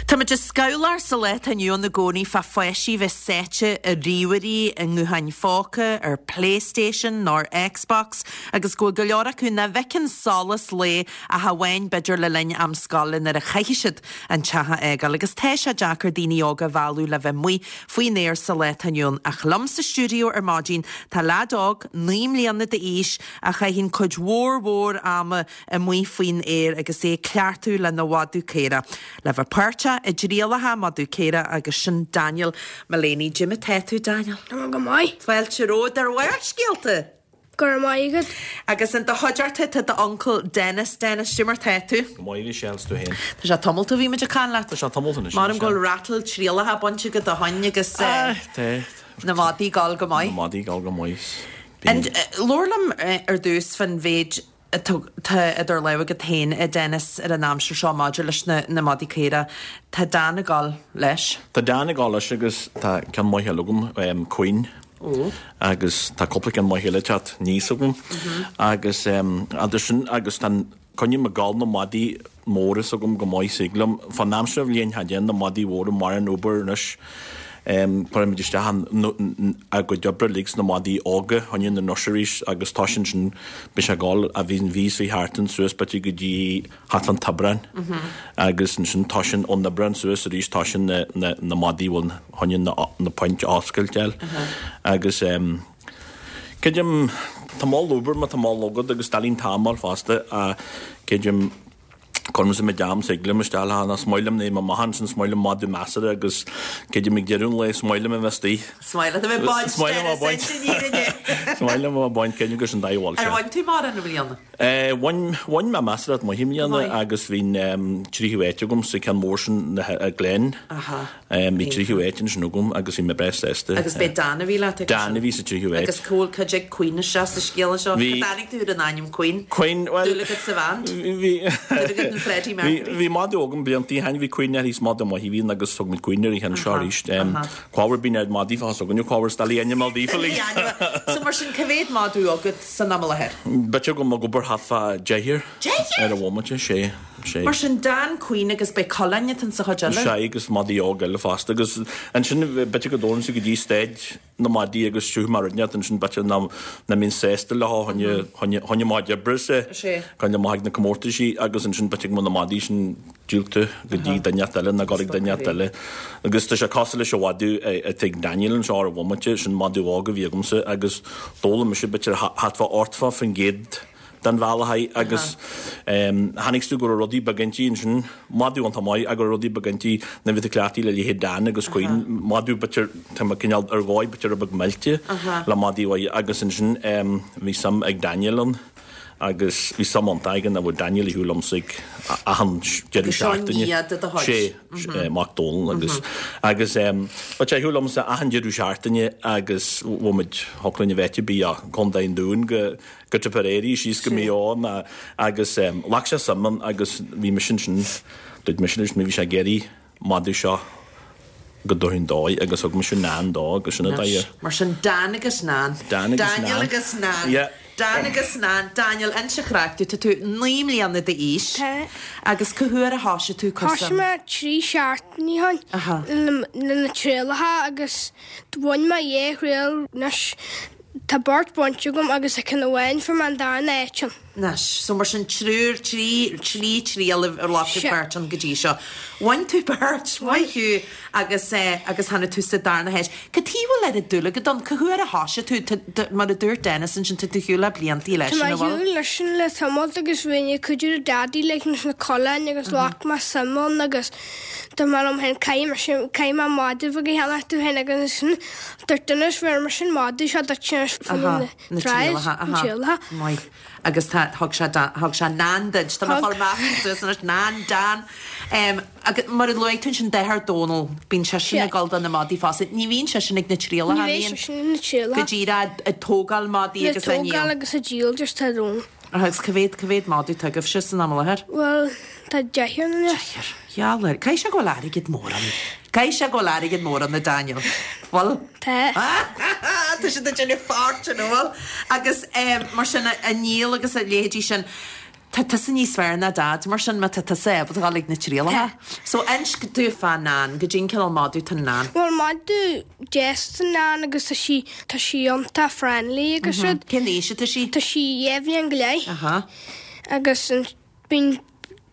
Táimid ag scamhlach sa lá atá inniu ann i gcónaí fá pháistí bheith sáite i ríomhairí, i ngutháin phóca, ar PlayStation nó ar Xbox agus go bhfuil go leor acu nach bhfeiceann solas lae ach amháin b'fhéidir le linn am scoile nuair a chaithfidh siad an teach a fhágáil agus tá sé deacair daoine óga a mhealladh le bheith amuigh faoin aer sa lá atá inniu ann. Ach liom sa stiúideo ar maidin tá leaid óg, 9 mbliana d'aois, a chaitheann cuid mhór mhór ama amuigh faoin aer agus é ag cleachtadh lena mhadadh caorach. Le bheith páirteach i dtrialacha madadh caorach agus sin Daniel Mullaney. Cad é mar atá tú, Daniel?
Tá mé go maith.
Fáilte romhat ar Bharrscéalta!
Go raibh maith agat.
Agus in do chuideachta tá d'uncail Dennis. Dennis, cad é mar tá tú?
Go maith, Michelle, 's tú féin?
Tá sé tamalt ó bhí muid ag caint leat.
Tá sé tamalt anois,
Measaim go bhfuil rattle trialacha bainte agat ó shoin agus
Tá.
na madaí ag gabháil go maith.
Na madaí ag gabháil go maith.
And labhair liom ar dtús fán mhéid atá idir lámha agat féin, a Dennis, ar an aimsir seo maidir leis na madaí caora. Tá Dan ag gabháil leis.
Tá Dan ag gabháil leis agus tá ceann maith eile agam, Queen. Agus tá cúpla ceann maith eile ag teacht aníos agam. Agus idir sin agus tá an, coinním ag gabháil na madaí móra s'agam go maith is thig liom. Fán aimsir bhliain cha dtéann na madaí mhóra mar an obair anois. Cuirimid isteach an, a gcuid oibre uilig sna madaí óga, choinne na nurseries agus toisíonn sin, beidh sé ag gabháil a bhí an mhí seo thart ann suas b'fhéidir go dtí thart fán Aibreán agus ansin toisíonn ón Aibreán suas arís toisíonn na, na, na madaí bhfuil choinne na, na point a oscailt fháil agus creidim. Tá mé ag obair má tá mol agat agus doiligh an t-am a fháil fosta ach creidim cuirimse mo am is thig liom isteach le hAnna. Is maith liom é mo maith ansin, is maith liom madadh measartha agus creidim ag deireadh an lae is maith liom a bheith istigh.
Is maith leat a bheith baint
Is maith liom a bheith baint. Is maith liom a bheith baint, creidim gur sin dóigh a bhfuil sé.
Ar bhain tú mórán i mbliana?
Bhain, bhain mé measartha maith i mbliana agus bhí an tríú háit agam sa ceann mór sin, na Glen.
Aha.
Bhí tríú háit ansin agam agus bhí mé breá sásta.
Agus b'é Dan a bhí leat
ag Dan a bhí sa tríú háit.
Agus cá bhfuil cuid ag Queen isteach sa scéal anseo?
Bhí.
Cá dtáinig tú ar an ainm Queen?
Queen, bhuel.
Dúil agat sa bhand?
Bhí.
Dúil agat in Freddie Mercury?
Bhí madadh agam blianta ó shin, bhí Queen uirthi, is madadh maith a bhí ann agus thug muid Queen uirthi anseo arís. Cá bhfuair bíonn ar madaí fás againne, cá bhfuair doiligh ainm a fháil daofa.
So mar sin, cá mhéad madadh agat san am i láthair?
B'fhéidir go mbeadh obair thart fá deichniúr.
Deichniúr?
Ar an bhomaite, sé. Sé.
Mar sin, Dan, Queen agus b'é coileáin atá sa chuid eile.
Sé agus madaí óg eile fosta agus ansin b'fhéidir go dtabharfainnse go dtí staid na madaí agus siúth mar rinneadh ansin b'fhéidir nach mbeinn sásta leo choinne choinne choinne maith oibre sé.
Sé.
Coinne maith ag na comórtaisí agus ansin b'fhéidir go mbeadh na madaí sin díolta go dtí duine inteacht eile nó go dtí duine inteacht eile. Agus tá sé cosúil leis an mhadadh atá ag Daniel anseo ar an bhomaite, sin madadh óg a bhí agamsa agus d'fhoghlaim mise b'fhéidir thart fá 80% den bhealach é agus chonaic tú go raibh rudaí beaga inti ansin, madadh iontach maith ach go raibh rudaí beaga inti nuair a bhí tú cleachtaithe le leithéid Dan agus Queen, madadh b'fhéidir, tá mé cineál ar dhóigh b'fhéidir rud beag millte le madaí mhaithe agus ansin bhí suim ag Daniel ann agus bhí suim iontach aige ná bhfuil Daniel ar shiúl liomsa ag achan deireadh seachtaine.
Sé.
Mac Dónall agus agus bheadh sé ar shiúl liomsa achan deireadh seachtaine agus bhfuil muid thiocfadh linn a bheith bí a Contae an Dúin go go Tipperary síos go Maigh Eo ná agus ghlac sé suim ann agus bhí mise ansin dúirt mise leis bhí sé ag iarraidh madadh seo go dtabharfainn dó agus thug mise Nan dó agus sin an dóigh ar.
Mar sin Dan agus Nan.
Dan agus
Daniel
Nan.
agus Nan.
Yeah.
Dan agus Nan. Daniel, inis an chraic dúinn, tá tú 9 mbliana d'aois.
Tá.
Agus cá huair a thoisigh tú
Thoisigh
cúrsa?
mé 3 seachtainí ó shin le na trialacha agus bhain mé dhá thriail anois. Tá beirt bainte agam agus tá ceann amháin fuair mé an darna áit ann.
Anois, so mar sin triúr, trí, trí triail a ghlac tú
Sea.
páirt ann go dtí seo. Bhain tú beirt, maith thú, agus eh, agus tháinig tú sa darna háit. Cad chuige a bhfuil oiread dúil agat ann? Cá huair a thoisigh tú? Tá, tá, mar a dúirt Dennis ansin, tá tú ar shiúl le bliantaí leis
Tá mé
sin,
ar
an bhfuil?
shiúl leis sin le tamall agus bhí mé ag cuidiú le Daidí leis na coileáin agus ghlac mé suim ann agus dúirt mé liom féin caithfidh mise, caithfidh mé madadh beag a cheannach domh féin agus ansin Dúirt Dennis bheir mise an madadh seo duit anois fá
Aha,
na
na
trials,
trialacha,
na
aha.
trialacha.
Maith. Agus tá, thug sé Dan, thug sé Nan duit. Tá mé ag
Thug.
fáil measctha suas anois, Nan, Dan. Em, agus mar a luaigh tú ansin, deartháir Dónal, bíonn seisean
Sea.
ag dul do na madaí fosta. Ní bhíonn seisean ag na trialacha,
Ní bheidh
an mbíonn?
seisean ag na trialacha.
Go díreach ag tógáil madaí
Le
agus á ndíol.
tógáil agus a díol just tá Dónal.
Agus cá mhéad, cá mhéad madadh atá agaibhse san am i láthair?
Bhuel, tá deichniúr anois.
Deichniúr. Gheall air. Caithfidh sé go bhfuil airgead mór ann. Caithfidh sé go bhfuil airgead mór ann, a Daniel. Bhfuil?
Tá.
Tá siad ag déanamh fortune, an bhfuil? Agus mar sin, a ndíol agus a leithéidí sin, tá tusa níos fearr ná Dad, mar sin, má tá tusa ábalta dul ag na trialacha.
Tá.
So, inis domh fá Nan, goidé an cineál madadh atá in Nan.
Bhuel, madadh deas atá in Nan agus tá sí, tá sí iontach friendly agus rud.
Cén aois atá sí?
Tá sí dhá bhliain go leith.
Aha.
Agus an, bíonn,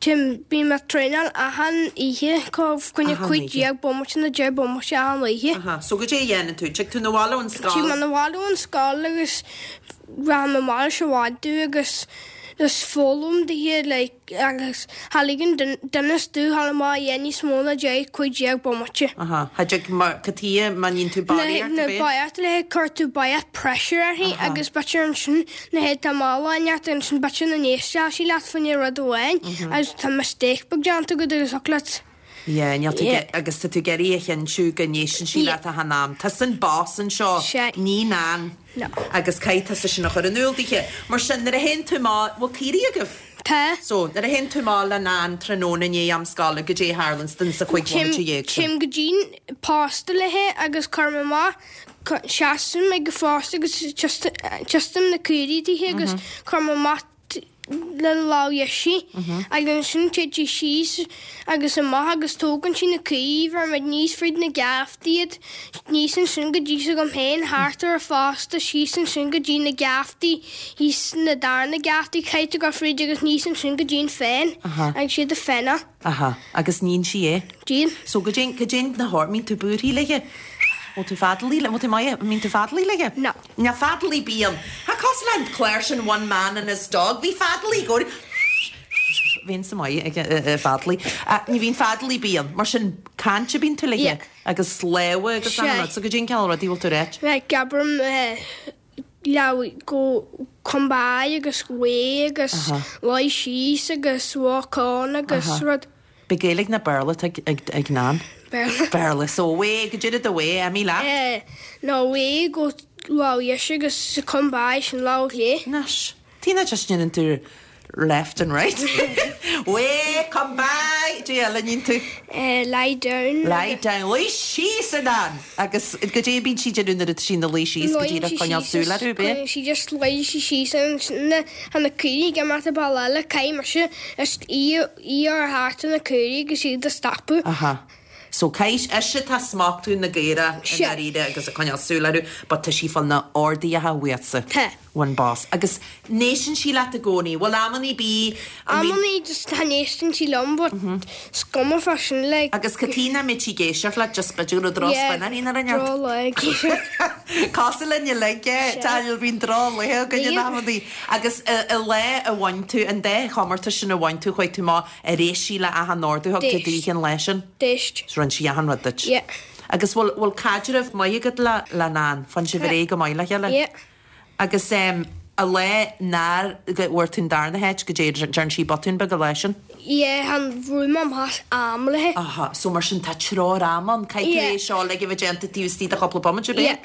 Tim, bíonn mé ag traenáil achan oíche, fá choinne
Achan
15
oíche.
bomaite nó 10 bomaite achan oíche.
Aha. So goidé a dhéanann tú? Tig tú 'na bhaile ón scoil?
Tig mé 'na bhaile ón scoil agus rachaidh mé amach leis an mhadadh agus just foghlaim dithe like agus cha ligeann Dennis domh dhul amach a dhath níos mó ná 10, 15 bomaite.
Aha. Cha dtig mar, cad chuige má níonn tú barraíocht
Na
ab é?
barraíocht le cuir tú barraíocht pressure uirthi agus b'fhéidir ansin na héad tá mala inteacht ansin b'fhéidir nach n-éistfeadh sí leat fá choinne rud amháin agus tá mistake beag déanta agat agus thiocfadh leat
Yeah, níl tú
Yeah.
agus tá tú ag iarraidh a chinntiú go n-éisteann sí
Yeah.
leat achan am. Tusa an boss anseo,
Sea.
ní Nan.
No.
Agus caithfidh tusa sin a chur in iúl dithe. Mar sin, nuair a théann tú amach, bhfuil caoirigh agaibh?
Tá.
So, nuair a théann tú amach le Nan tráthnóna i ndiaidh am scoile, goidé a tharlanns duinn sa chúig bhomaite dhéag sin?
Téim go dtí'n posta léi agus cuirim amach, seasaim ag an phosta agus tiostaim na caoirigh dithe agus cuirim amach le lámh dheis agus ansin téid sí síos agus amach agus tógann sí na caoirigh, bheirimid aníos fríd na geaftaí iad, aníos ansin go dtí s'agam féin, thart ar an phosta, síos ansin go dtí na geaftaí, thíos na darna geaftaí, caithfidh tú dul fríd agus aníos ansin go dtí an fen agus siad a fenna.
Aha, agus níonn sí é?
Níonn.
So goidé, goidé na hor, mbíonn tú buartha léithe? Bhfuil tú feadalaí le, bhfuil tú maith, mbíonn tú feadalaí léi?
No.
Níl feadalaí bíonn. Tá cosúil le an clár sin One Man and His Dog, bhí feadalaí i gcónaí bhíonn sa maith ag feadalaí. Ní bhíonn feadalaí bíonn, mar sin caint a bíonn tú léi
Yeah.
agus lámha agus
Sea.
achan rud, so goidé an cineál rudaí bhfuil tú ag ráit?
Like abraim leamh go come by agus away agus luigh síos agus walk on agus rud.
B'é Gaeilge ná Béarla atá ag Nan?
Béarla.
Béarla. So away, goidé rud away, imigh leat?
Eh, no away go lámh dheis agus come by sin lámh chlé.
Anois, Tina just ndéanann tú left and right. Away, come by, goidé eile a níonn tú?
Eh, lie down.
Lie down, luigh síos a Nan! Agus goidé a bíonn sí ag déanamh nuair atá sí ina luí síos go díreach ag coinneáil súil orthu, ab é?
Sí just luíonn sí síos ansin tá na caoirigh ag imeacht an bealach eile, caithfidh mise just í í a chur thart ar na caoirigh agus iad a stopadh.
Aha. So caithfidh ise atá ag smachtú na gcaorach i ndáiríre agus ag coinneáil súil orthu but tá sí fá na orduithe uaitse.
Tá.
Ón boss. Agus n-éisteann sí leat i gcónaí? Bhfuil amannaí bídh a mbíonn.
Amannaí just chan éisteann sí liom but is cuma fá sin like.
Agus cad chuige nach mbeadh sí ag éisteacht leat just b'fhéidir go raibh droch-spion uirthi nó rud
Yeah, droch-lá ag éisteacht.
Cosúil linn uilig é, Daniel, bíonn droch-laethe againn in amannaí. Agus an lá a bhain tú, an dá chomórtas sin a bhain tú, chuaigh tú amach ar éist sí le achan ordú a thug tú
D'éist.
daoithe an lá sin?
D'éist.
So rinne sí achan rud duit?
Yeah.
Agus bhfuil, bhfuil caidreamh maith agat le, le Nan? Faigheann sibh ar aghaidh go maith le chéile?
Yeah.
Agus an lá nár bhfuair tú an darna háit, goidé, dearn sí botún beag an lá sin?
Yeah, chan bhfuair mé amach as am léi.
Aha, so mar sin tá treoir ama ann, caithfidh tú
Yeah.
é seo uilig a bheith déanta taobh istigh de chúpla bomaite, ab é?
Yeah.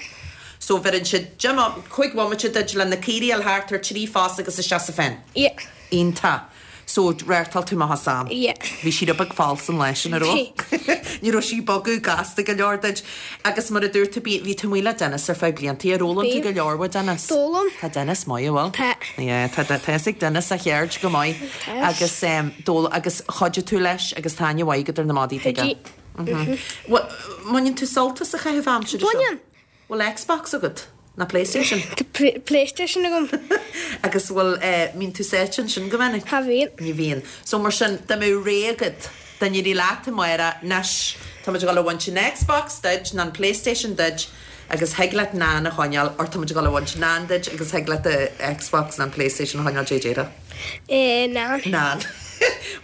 So bheireann siad deich mbo, 5 bhomaite duit le na caoirigh a fháil thart ar thrí phos agus isteach sa phen.
Yeah.
Iontach. So, reáchtáil tú amach as am.
Yeah.
Bhí sí rud beag falsa an lá sin, an raibh? Ní raibh sí ag bogadh gasta go leor duit. Agus mar a dúirt tú, bí, bhí tú amuigh le Dennis ar feadh blianta. Ar fhoghlaim tú
Bhí.
go leor uaidh Dennis?
D'fhoghlaim.
Tá Dennis maith, an bhfuil?
Tá.
Yeah, tá, tá fhios ag Dennis a cheird go maith.
Tá.
Agus em, d'fhoghlaim, agus chuidigh tú leis agus tá aithne mhaith agat ar na madaí, tuige?
Chuidigh.
Bhuel, mbaineann tú sult as an chaitheamh aimsire seo?
Baineann.
Bhfuil Xbox agat? Ná PlayStation?
Tá PlayStation agam.
Agus bhfuil, eh, mbíonn tú sáite ansin go minic?
Cha bhíonn.
Ní bhíonn. So mar sin, dá mbeadh rogha agat, dá n-éireodh leat amárach, anois, tá muid ag dul a bhaint an Xbox duit, ná an PlayStation duit, agus thig leat Nan a choinneáil, or tá muid ag dul a bhaint Nan duit agus thig leat an Xbox ná an PlayStation a choinneáil, goidé a déarfá?
Eh, Nan.
Nan.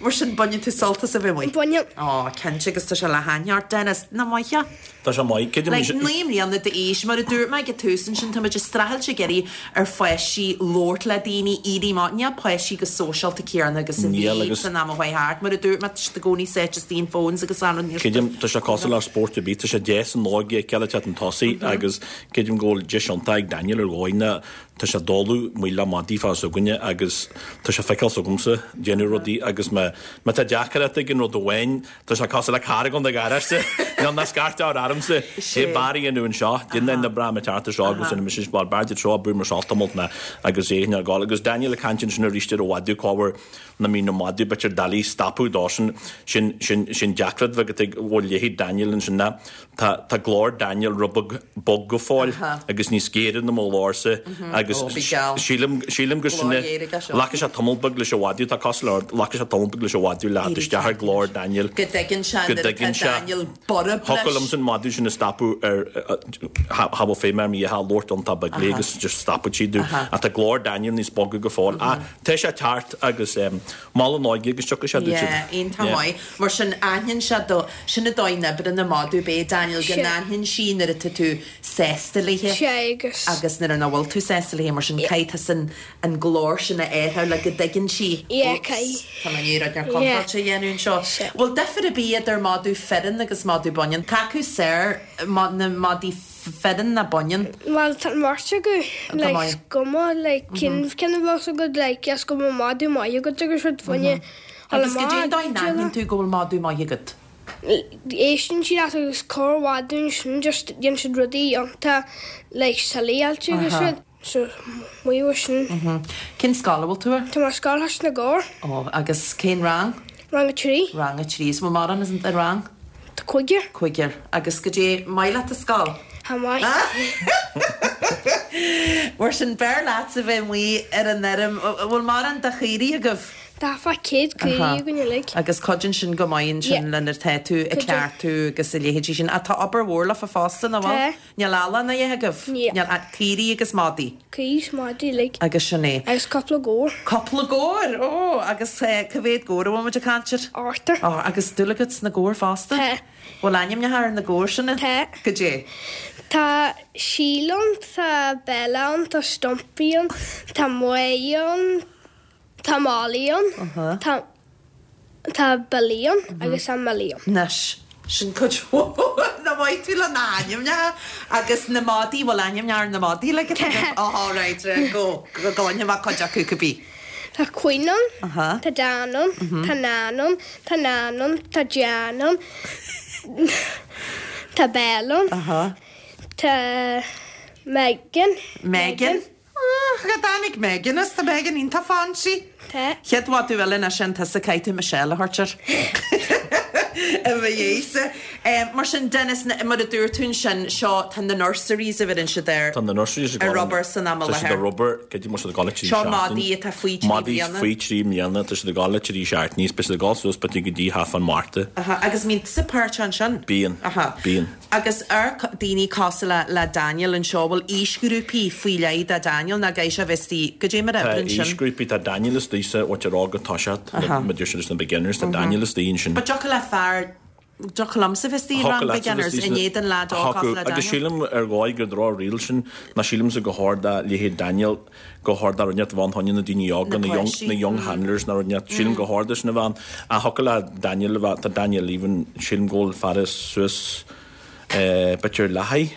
Mar sin, baineann tú sult as a bheith amuigh?
Baineann.
Ó, cinnte, agus tá sé le haithne ort, Dennis. Nach maith é?
Tá sé maith. Creidim
Like, 9 mbliana d'aois, mar a dúirt mé ag an tús ansin, tá muid ag streachailt ag iarraidh ar pháistí labhairt le daoine, éirí amach, níl páistí chomh sóisialta céanna agus a
Níl,
bhí
agus.
san am a chuaigh thart. Mar a dúirt mé, tá siad i gcónaí sáite istigh in phones agus anrud níl siad.
Creidim, tá sé cosúil le spórt ar bith, tá sé deas an óige a fheiceáil ag teacht chun tosaigh agus creidim go bhfuil deis iontach ag Daniel ar dhóigh ná tá sé ag dul amuigh le madaí fá s'againne agus tá sé ag feiceáil s'agamsa déanamh rudaí agus má má tá deacracht ag an rud amháin Tá sé cosúil le carr ag dul 'na garáiste. Níl ná scairt ár aramsa. Sé Barry inniu anseo. Déan na breá tearta seo agus ina Mrs. Bhal Barry seo bú mar seo tamalt na agus é ar gáil agus Daniel ag caint ansin arís ar an mhadadh cá bhfuair na mí na madadh b'fhéidir doiligh stopadh dó sin sin sin sin deacracht bheag atá ag bhfuil leithéid Daniel ansin ná Tá tá glór Daniel rud beag bog go fóill agus níos géire ná mo ghlórsa agus
Ó, bí geall.
sílim sílim gur sin
Glór
é
ghéar aige seo.
Ghlacfaidh sé tamall beag leis an mhadadh, tá cosúil le ghlacfaidh sé tamall beag leis an mhadadh le theacht isteach ar ghlór Daniel.
Go dtuigeann sé
Go
nuair atá
dtuigeann sé.
Daniel borb
Thiocfadh
leis.
liomsa an madadh sin a stopadh ar cha bhfuil feidhm ar mí a labhairt iontach beag léi agus just stopadh sí dú. Ach tá glór Daniel níos boga go fóill. Ach tá sé ag teacht agus mol an óige agus tiocfaidh sé duit.
Yeah, iontach maith. Mar sin aithníonn sé do, sin an dóigh a n-oibríonn an madadh, ab é Daniel, go
Sea.
n-aithníonn sí nuair atá tú sásta léi
Sea, agus.
agus nuair nach bhfuil tú sásta léi, mar sin caithfidh tusa an, an glór sin a athrú le go dtuigeann sí,
Yeah,
oops,
caithfidh.
tá mé i ndiaidh rud inteacht
Yeah.
contráilte a dhéanamh anseo.
Sea.
Bhfuil difear ar bith idir madadh fireann agus madadh baineann? Cé acu is fearr, na madaí fireann ná baineann?
Bhuel, tá an bheirt acu,
Go
like,
maith.
is cuma, like, cén ceann a bheas agat, like, is cuma madadh maith agat agus rud fá choinne dul
Agus goidé an
amach,
dóigh a n-aithníonn tú go bhfuil madadh maith agat?
Éisteann siad leat agus corr-mhadadh ansin, just déanann siad rudaí iontach, like, silly-áilte agus rud. So, maith thú sin.
Cén scoil a bhfuil tú air?
Tá mé ar Scoil Chois na gCorr.
Ó, agus cén rang?
Rang a 3.
Rang a 3. Is bhfuil mórán in sa rang?
Tá cúigear.
Cúigear. Agus goidé maith leat an scoil?
Tá maith.
Mar sin, b'fhearr leatsa bheith amuigh ar an fheirm. Bhfuil mórán de chaoirigh agaibh?
Tá fá 100 caoirigh againn uilig.
Agus cuidíonn sin go maith ansin lena tá tú ag cleachtadh agus a leithéidí sin. Ach tá obair mhór leofa fosta, nach bhfuil?
Tá.
Níl eallach ná a dhath agaibh?
Níl.
Níl ach caoirigh agus madaí?
Caoirigh is madaí uilig.
Agus sin é.
Agus cúpla gabhar.
Cúpla gabhar! Ó! Agus cá mhéad gabhar a bhfuil muid ag caint air?
Ochtar.
Ó, agus dúil agat sna gabhair fosta?
Tá.
Bhfuil ainmneacha ar na gabhair sin?
Tá.
Goidé?
Tá Síle ann, tá Bella ann, tá Stumpy ann, tá Maeve ann, Tá Molly ann, tá tá Billy ann agus tá Millie ann.
Anois, sin cuid mhór nach maith tú le na hainmneacha agus na madaí, bhfuil ainmneacha ar na madaí like tá oh right, right, go, go gcluinfidh mé cuid acu cibé.
Tá Quinn ann, tá Dan ann, tá Nan ann, tá Nan ann, tá Jan ann, tá Belle ann, tá Megan.
Megan. Cá dtáinig Megan as? Tá Megan iontach fancy.
Tá.
Chéad mhadadh eile ná sin tusa caithfidh tú Michelle a thabhairt air. I mo dhiaidhse. Mar sin Dennis, mar a dúirt tú ansin, seo, tá na nurseries a bheireann siad air.
Tá na nurseries ag
ar obair san am i
Tá siad
láthair.
ar obair, cad é mar siad ag dul le trí
Seo
seachtain.
madaí atá faoi trí
Madaí
bliana.
faoi thrí mbliana, tá siad ag dul le trí seachtainí, beidh siad ag dul suas b'fhéidir go dtí thart fán Márta.
Aha, agus an mbíonn tusa páirteach ansin?
Bíonn.
Aha.
Bíonn.
Agus ar daoine cosúil le le Daniel anseo, bhfuil aoisghrúpaí faoi leith do Daniel nó caithfidh sé a bheith istigh, goidé mar a
Tá
oibreann sin?
aoisghrúpaí, tá Daniel istigh sa, what you're go toiseacht,
Aha.
na deir siad is na beginners, tá Daniel istigh ansin.
But dtiocfadh le fear, dtiocfadh liomsa bheith istigh i rang
Thiocfadh leatsa bheith
beginners
istigh
in
sna,
éadan leaid óg cosúil
thiocfadh,
le
agus
Daniel.
sílim ar dhóigh gur droch-riail sin, ná sílimse gur chóir do leithéid Daniel, gur chóir do rud inteacht a bheith ann fá choinne na daoine óga,
Na
na young,
páistí.
na young handlers nó rud inteacht, sílim gur chóir dó sin a bheith ann. Ach thiocfadh le Daniel a bheith, tá Daniel even, sílim go bhfuil fear suas eh b'fhéidir leath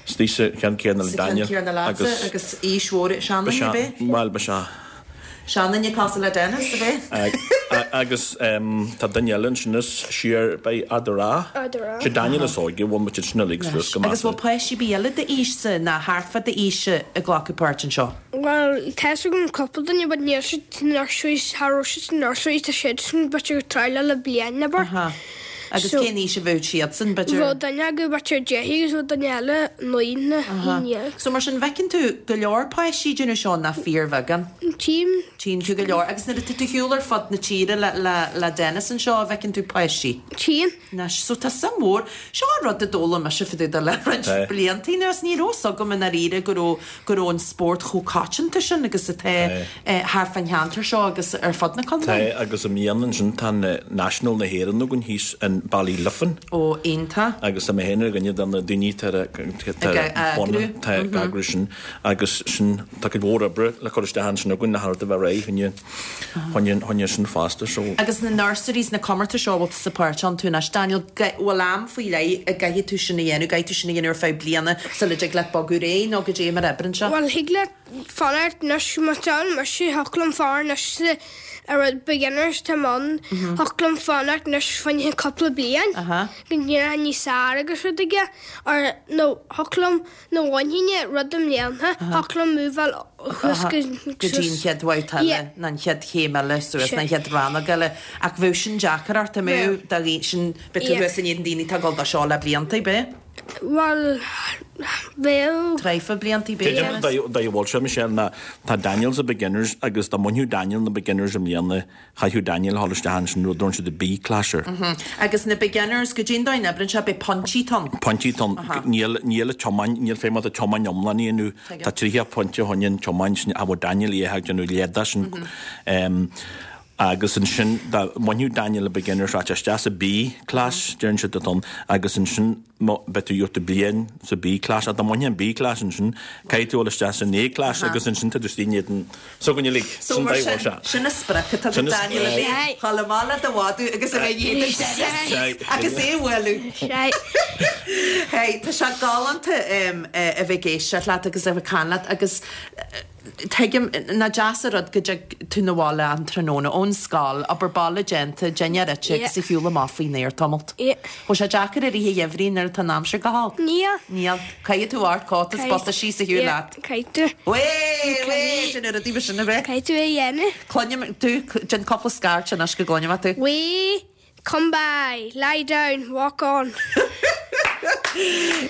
istigh sa cheann céanna le
Sa cheann
Daniel
céanna leatsa
agus
agus aois mhór
ba
seanduine
sea,
ab é?
bhuel ba sea.
Seanduine cosúil le Dennis ab é?
Agus tá duine eile ansin is siar, beidh Adara.
Adara.
Sé Daniel is óige, bhfuil muid ansin uilig suas go
Agus
measartha.
bhfuil páistí ar bith eile d'aois-sa ná thart fá d'aois-sa ag glacadh páirt anseo?
Bhuel, tá's agam cúpla duine but níl siad sna nurseries, cha raibh siad sna nurseries, tá siadsan b'fhéidir ag triáil le bliain abair.
Aha. Agus
So-
cén aois a bheadh siadsan, b'fhéidir?
Bheadh duine acu b'fhéidir 10 agus bheadh duine eile 9 nó 11.
So mar sin, bhfeiceann tú go leor páistí ag déanamh seo ná fíorbheagán?
Tchím.
Tchíonn tú go leor. Agus nuair atá tú ar shiúl ar fud na tíre le, le, le Dennis anseo, an bhfeiceann tú páistí?
Tchíonn.
Anois, so tá suim mhór. Seo an rud a d'fhoghlaim mise fá dtaobh de le roinnt
Tá.
blianta anuas. Ní raibh 'fhios agam i ndáiríre go raibh, go raibh an spórt chomh coitianta sin agus atá
Tá.
thart fán cheantar seo agus ar fud na contae.
Tá, agus i mbliana ansin tá an National na hÉireann againn thíos in Ballyliffin.
Ó, iontach.
Agus tá mé féin ar dhuine de na daoine atá ar, atá
Ag
ar
eagrú.
atá ag eagrú sin agus sin, tá cuid mhór oibre le cur isteach ansin againn le rud a bheith réidh fá choinne, fá choinne sin fosta so.
Agus na nurseries, na comórtais seo a bhfuil tusa páirteach iontu anois, Daniel, bhfuil am faoi leith a gcaithfidh tú sin a dhéanamh, gcaithfidh tú sin a dhéanamh ar feadh bliana sula dtig leat bogadh ar aghaidh nó goidé mar a oibreann sé?
Bhuel, thig leat fanacht anois, má tá mise, thiocfadh liom fanacht anois sa a rud beginners tá mé ann, thiocfadh liom fanacht anois fá choinne cúpla bliain, go ndéanfainn níos fearr agus rud aige, or nó thiocfadh liom Nó bhainfinn é rud i mbliana, thiocfadh liom múbháil thuas go
go dtí an chéad bhabhta eile, nó an chéad chéim eile suas, nó an chéad rannóg eile. Ach bheadh sin deacair ort, an mbeadh, dá gcaoi sin, beidh tú thuas in éadan daoine atá ag dul dó seo le blianta, ab ea?
Bhuel, bheadh.
Traidhfil blianta, ab ea?
Creidim an dóigh a bhfuil sé, Michelle, ná tá Daniel sa beginners agus dá mbainfeadh Daniel na beginners i mbliana, Chaithfeadh Daniel a dhul isteach ansin rud a dtugann siad an B class air.
Agus na beginners, goidé an dóigh a n-oibreann sé, beidh pointí ann.
Pointí ann. Níl, níl an tiomáint, níl feidhm agat an tiomáint iomlán a dhéanamh. Tá 30 pointe fá choinne an tiomáint sin, a bhfuil Daniel í ag déanamh leath de sin. Agus ansin, dá mbainfeadh Daniel na beginners, rachadh sé isteach sa B class, deireann siad atá ann, agus ansin, beidh tú, gheobhaidh tú bliain sa B class, ach dá mbainfeá an B class ansin, caithfidh tú dul isteach san A class agus ansin tá tú istigh in éadan s'againn uilig.
So
Sin
mar
dóigh
sin,
sé.
sin an sprioc atá
Sin
ag
an
Daniel a bheith ag dul amach le do mhadadh agus a bheith in éadan Dennis agus é a bhualadh. Hey, tá sé galánta a bheith ag éisteacht leat agus a bheith ag caint leat agus Tuigim, nach deas an rud go dtig tú 'na bhaile an tráthnóna ón scoil, obair baile déanta, dinnéar ite agus a shiúl amach faoin aer tamalt. Bhfuil sé deacair i rith an gheimhridh nuair atá an aimsir go holc?
Níl.
Níl. Caithfidh tú ort cóta is bota síos a shiúl leat.
Caithfidh tú.
Wé! Wé! Déan rudaí mar sin a bheith.
Caithfidh tú é a dhéanamh.
Cluinim tú, déan cúpla scairt anois go gcluinim tú.
Wé! Come by, lie down, walk on.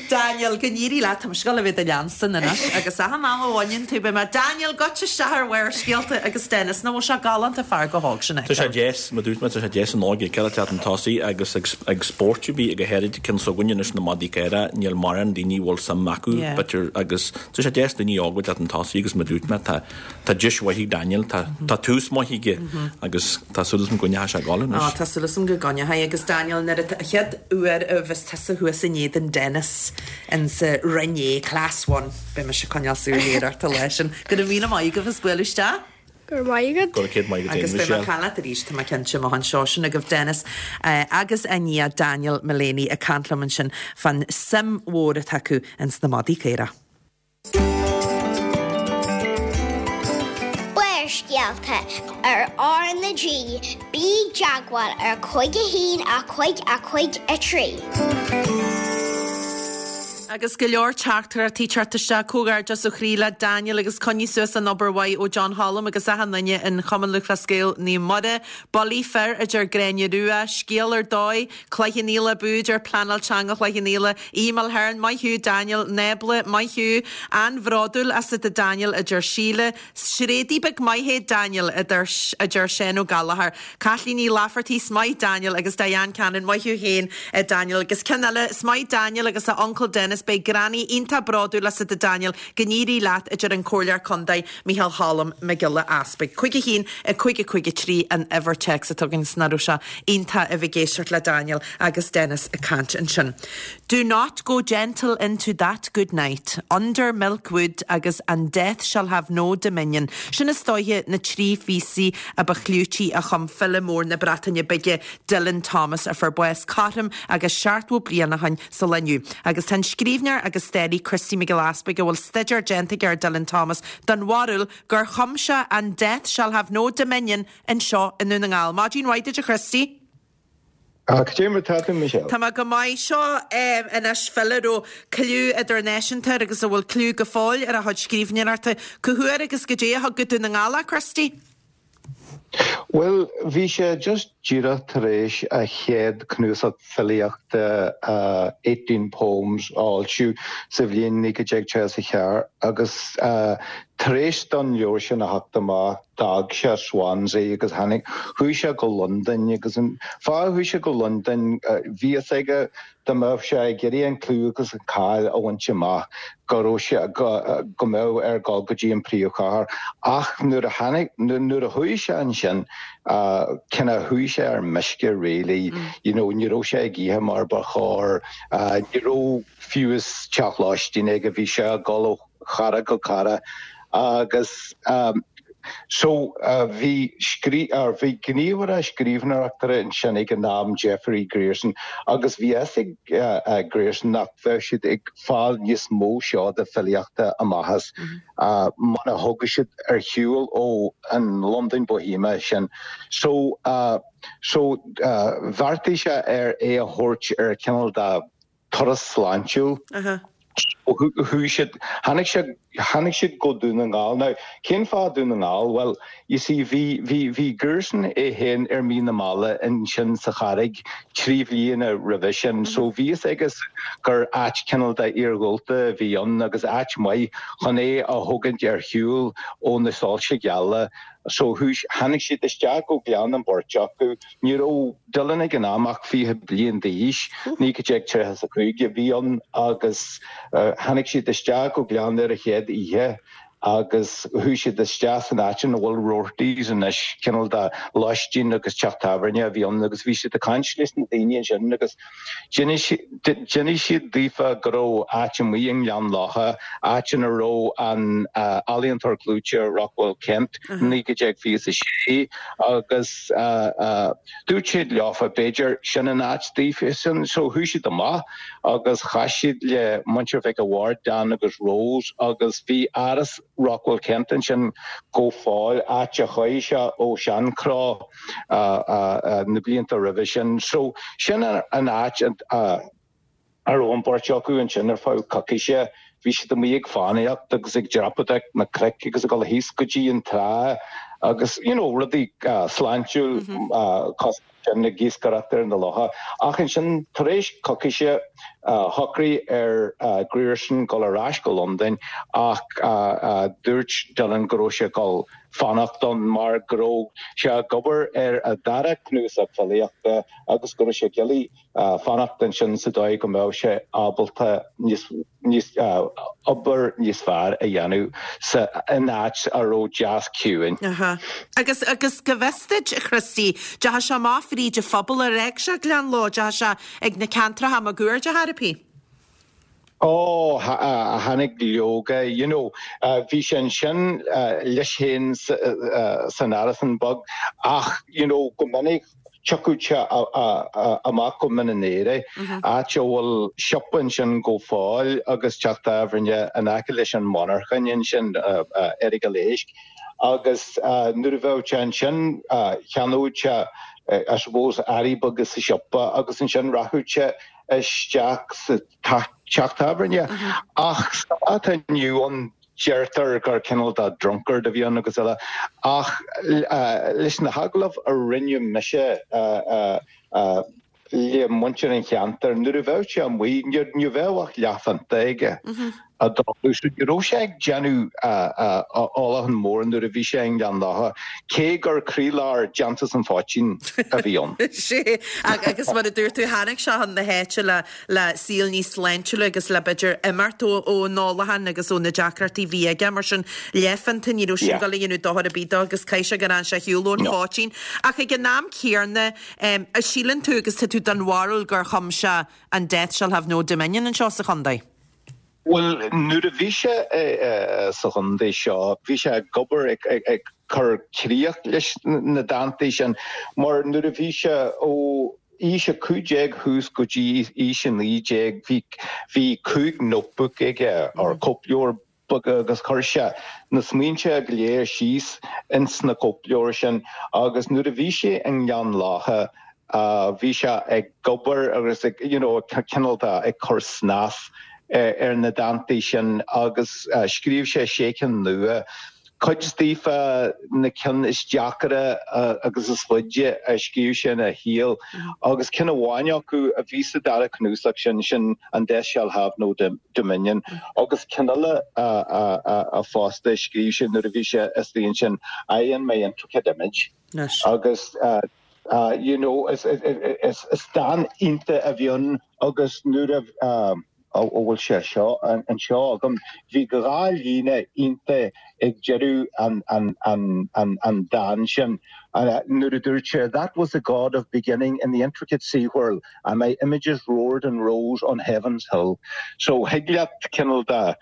Daniel. Daniel, go n-éirí leat, tá mise ag dul a bheith do leanstan anois agus achan am a bhaineann tú, beidh mé, Daniel, goitse isteach ar Bharrscéalta agus Dennis, nach bhfuil sé galánta fear chomh hóg sin a
Tá sé
fheiceáil.
deas, mar dúirt mé, tá sé deas an óige a fheiceáil ag teacht chun tosaigh agus ag spórt a bhí go háirid cionn s'againne anois na madaí caora, níl mórán daoine a bhfuil suim acu, b'fhéidir, agus tá sé deas daoine óga ag teacht chun tosaigh agus mar dúirt mé, tá Tá deis mhaith ag Daniel, tá tá tús maith aige agus tá súil agam go gcoinneoidh sé ag dul anois.
Á, tá súil agam go gcoinneoidh. Agus Daniel, nuair a, chéad uair a bheas tusa thuas in éadan Dennis insa Roinn A, Class One, beidh mise ag coinneáil súil ghéar ort an lá sin. Go raibh míle maith agaibh as bualadh isteach.
Go raibh maith agat.
Go raibh céad maith agat
Agus beidh mé ag caint leat arís, tá mé cinnte, amach anseo. Sin agaibh Dennis agus a nia Daniel Mullaney ag caint liom ansin fán suim mhór atá acu ins na madaí caora.
Barrscéalta ar R na G, bí i dteagmháil ar 5 1 5 5 3.
Agus go leor teachtaireachtaí ag teacht isteach. Comhghairdeas ó chroí le Daniel agus coinnigh suas an obair mhaith ó John Cholm agus achan duine in Chumann Lúthchleas Gael Naomh Muire. Bulaí fir a deir Gráinne Rua. Scéal ar dóigh. Cloich Cheann Fhaola abú a deir Pleanáil Teanga Chloich Cheann Fhaola. Aodh Mulhern, Maith thú Daniel. Nábla, Maith thú. An-bhródúil asat a Daniel, a deir Síle. Sréadaí beag maith é Daniel, a deir Seán Ó Gallchóir. Caitlín Ní Laifeartaigh, 'S maith Daniel agus Diane Cannon, Maith thú féin a Daniel. Agus ceann eile, 'S maith Daniel agus a uncail Dennis, beidh Granny iontach bródúil asat a Daniel, go n-éirí leat, a deir an Comhairleoir Contae Micheál Cholm Mac Giolla Easpaig. 5 1 5 5 3 an uimhir téacs atá againn 's nach raibh sé iontach a bheith ag éisteacht le Daniel agus Dennis ag caint ansin. Do not go gentle into that good night, Under Milk Wood agus And Death Shall Have No Dominion. Sin is dóiche na trí phíosaí a ba chlúití a chum file mór na Breataine Bige, Dylan Thomas, a fuair bás cothrom agus 70 bliain ó shin sa lá inniu. Agus tá an scríbhneoir agus staraí Christy Mac Giolla Easpaig, a bhfuil staidéar déanta aige ar Dylan Thomas, den bharúil gur chum sé And Death Shall Have No Dominion anseo i nDún na nGall. Maidin mhaith duit a Christy.
Cad é mar tá tú, Michelle?
Tá mé go maith. Seo anois file a raibh cliú idirnáisiúnta air agus a bhfuil cliú go fóill ar a chuid scríbhneoireachta. Cá huair agus goidé a thug go Dún na nGall é, Christy?
Bhuel, bhí sé just díreach tar éis a chéad cnuasach filíochta Eighteen Poems a fhoilsiú sa bhliain 1934 agus tar éis don leabhar sin a theacht amach d'fhág sé Swansea agus tháinig, chuaigh sé go Londain agus an fáth a chuaigh sé go Londain, bhí fhios aige dá mbeadh sé ag iarraidh an clú agus an cáil a bhaint amach, go raibh sé, go mbeadh air dul go dtí an príomhchathair. Ach nuair a tháinig, nuair a chuaigh sé ansin, cineál chuaigh sé ar meisce really, you know, ní raibh sé ag ithe mar ba chóir, ní raibh fiú is teach lóistín aige, bhí sé ag dul ó chara go cara agus so bhí scrí or bhí gníomhaire scríbhneoireachta ansin ag an am Jeffrey Grierson agus bhí fhios ag Grierson nach bheadh siad ag fáil níos mó seoda filíochta amach as muna thiocfadh siad ar shiúl ó an Londain Bohemia sin so so bheartaigh sé ar é a thabhairt ar cineál de turas sláintiúil. Chuaigh siad, tháinig sé, tháinig siad go Dún na nGall. Now, cén fáth Dún na nGall? Bhuel, you see, bhí, bhí, bhí Grierson é féin ar Mín na Meala ansin sa Charraig trí bhliana roimhe sin, so bhí fhios aige gur áit cineál de iarghúlta a bhí ann agus áit maith chun é a thógaint ar shiúl ó na soilse geala. So chuaigh, tháinig siad isteach go Gleann an bheirt acu. Ní raibh Dylan ag an am ach 20 bliain d'aois, 1935 a bhí ann, agus tháinig siad isteach go Gleann ar a chéad oíche agus chuaigh siad isteach san áit ina bhfuil Roarty's anois, cineál de lóistín agus teach tábhairne a bhí ann agus bhí siad ag caint leis na daoine ansin agus D'inis siad daofa go raibh áit amuigh i nGleann Locha, áit ina raibh an ealaíontóir clúite Rockwell Kent, 1926, agus dúirt siad leofa b'fhéidir sin an áit daofa. So chuaigh siad amach agus chas siad le muintir Mhic a' Bhaird, Dan agus Rose, agus bhí áras Rockwell Kent ansin go fóill, áit a chuaigh sé ó Seancró. na blianta roimhe sin. So, sin an áit a raibh an bheirt acu ansin ar feadh coicíse. Bhí siad amuigh ag fánaíocht agus ag dreapadóireacht na cnoic agus ag dul thíos go dtí an trá. agus you know rudaí sláintiúil cosúil sin ag iascaireacht ar na locha. Ach ansin tar éis coicíse shocraigh ar Grierson dul ar ais go Londain ach dúirt Dylan go raibh sé ag dul fanacht ann mar go raibh sé ag obair ar a dara cnuasach filíochta agus go raibh sé ag iarraidh fanacht ansin sa dóigh go mbeadh sé ábalta níos níos obair níos fearr a dhéanamh sa in áit a raibh deas ciúin.
Aha. Agus agus go bhfios duit, a Christy, deachaigh sé amach fríd an phobal ar fhág sé Gleann Ló, deachaigh sé ag na ceantracha máguaird ar chor ar bith?
Ó, tháinig leoga, you know, bhí sé ansin leis féin san árasán beag ach, you know, go minic Thiocfadh sé amach go Mín an Aoire, áit a bhfuil siopa ansin go fóill agus teach tábhairne in aice leis an monarchain ansin, Earagail Éisc. Agus nuair a bheadh sé ansin cheannódh sé, I suppose, earraí beaga sa siopa agus ansin rachadh sé isteach sa teach tábhairne. Ach sa lá atá inniu ann, Deirtear gur cineál de drunkard a bhí ann agus eile, ach leis na hagallaimh a rinne mise le muintir an cheantair, nuair a bheadh sé amuigh, ní bheadh ach leathphionta aige á ól. So ní raibh sé ag déanamh ólachán mór nuair a bhí sé i nGleann Locha, cé gur croílár déantús an phoitín a bhí ann.
Sea, agus mar a dúirt tú, tháinig sé chun na háite le le saol níos sláintiúla agus le b'fhéidir imeacht ón ólachán agus ó na deacrachtaí a bhí aige. Mar sin, leathphionta, ní raibh sin ag dul a dhéanamh dochar ar bith dó agus caithfidh sé gur fhan sé ar shiúl ón phoitín. Ach ag an am céanna, síleann tú agus tá tú den bharúil gur chum sé an Death Shall Have No Dominion anseo sa chontae?
Bhuel, nuair a bhí sé sa chontae seo, bhí sé ag obair ag cur críoch leis na dántaí sin, mar nuair a bhí sé ó aois a 15 thuas go dtí aois a 19, bhí bhí 5 notebook aige, or cóipleabhar beaga agus chuir sé na smaointe go léir síos ins na cóipleabhair sin agus nuair a bhí sé i nGleann Locha, Bhí sé ag obair agus ag, you know, cineál de ag cur snas ar na dántaí sin agus scríobh sé sé cinn nua. Cuid daofa na cinn is deacaire agus is faide a scríobh sé ina shaol agus ceann amháin acu a bhí sa dara cnuasach sin, sin an Death Shall Have No Dominion agus ceann eile a fosta a scríobh sé nuair a bhí sé istigh ansin, I and My Intricate Image. Agus you know is dán iontach a bhí ann agus nuair a bhfuil sé seo anseo agam bhí dhá líne iontach ag deireadh an dán sin nuair a dúirt sé that was the god of beginning in the intricate sea whirl and my images roared and rose on heaven's hill. So thig leat cineál de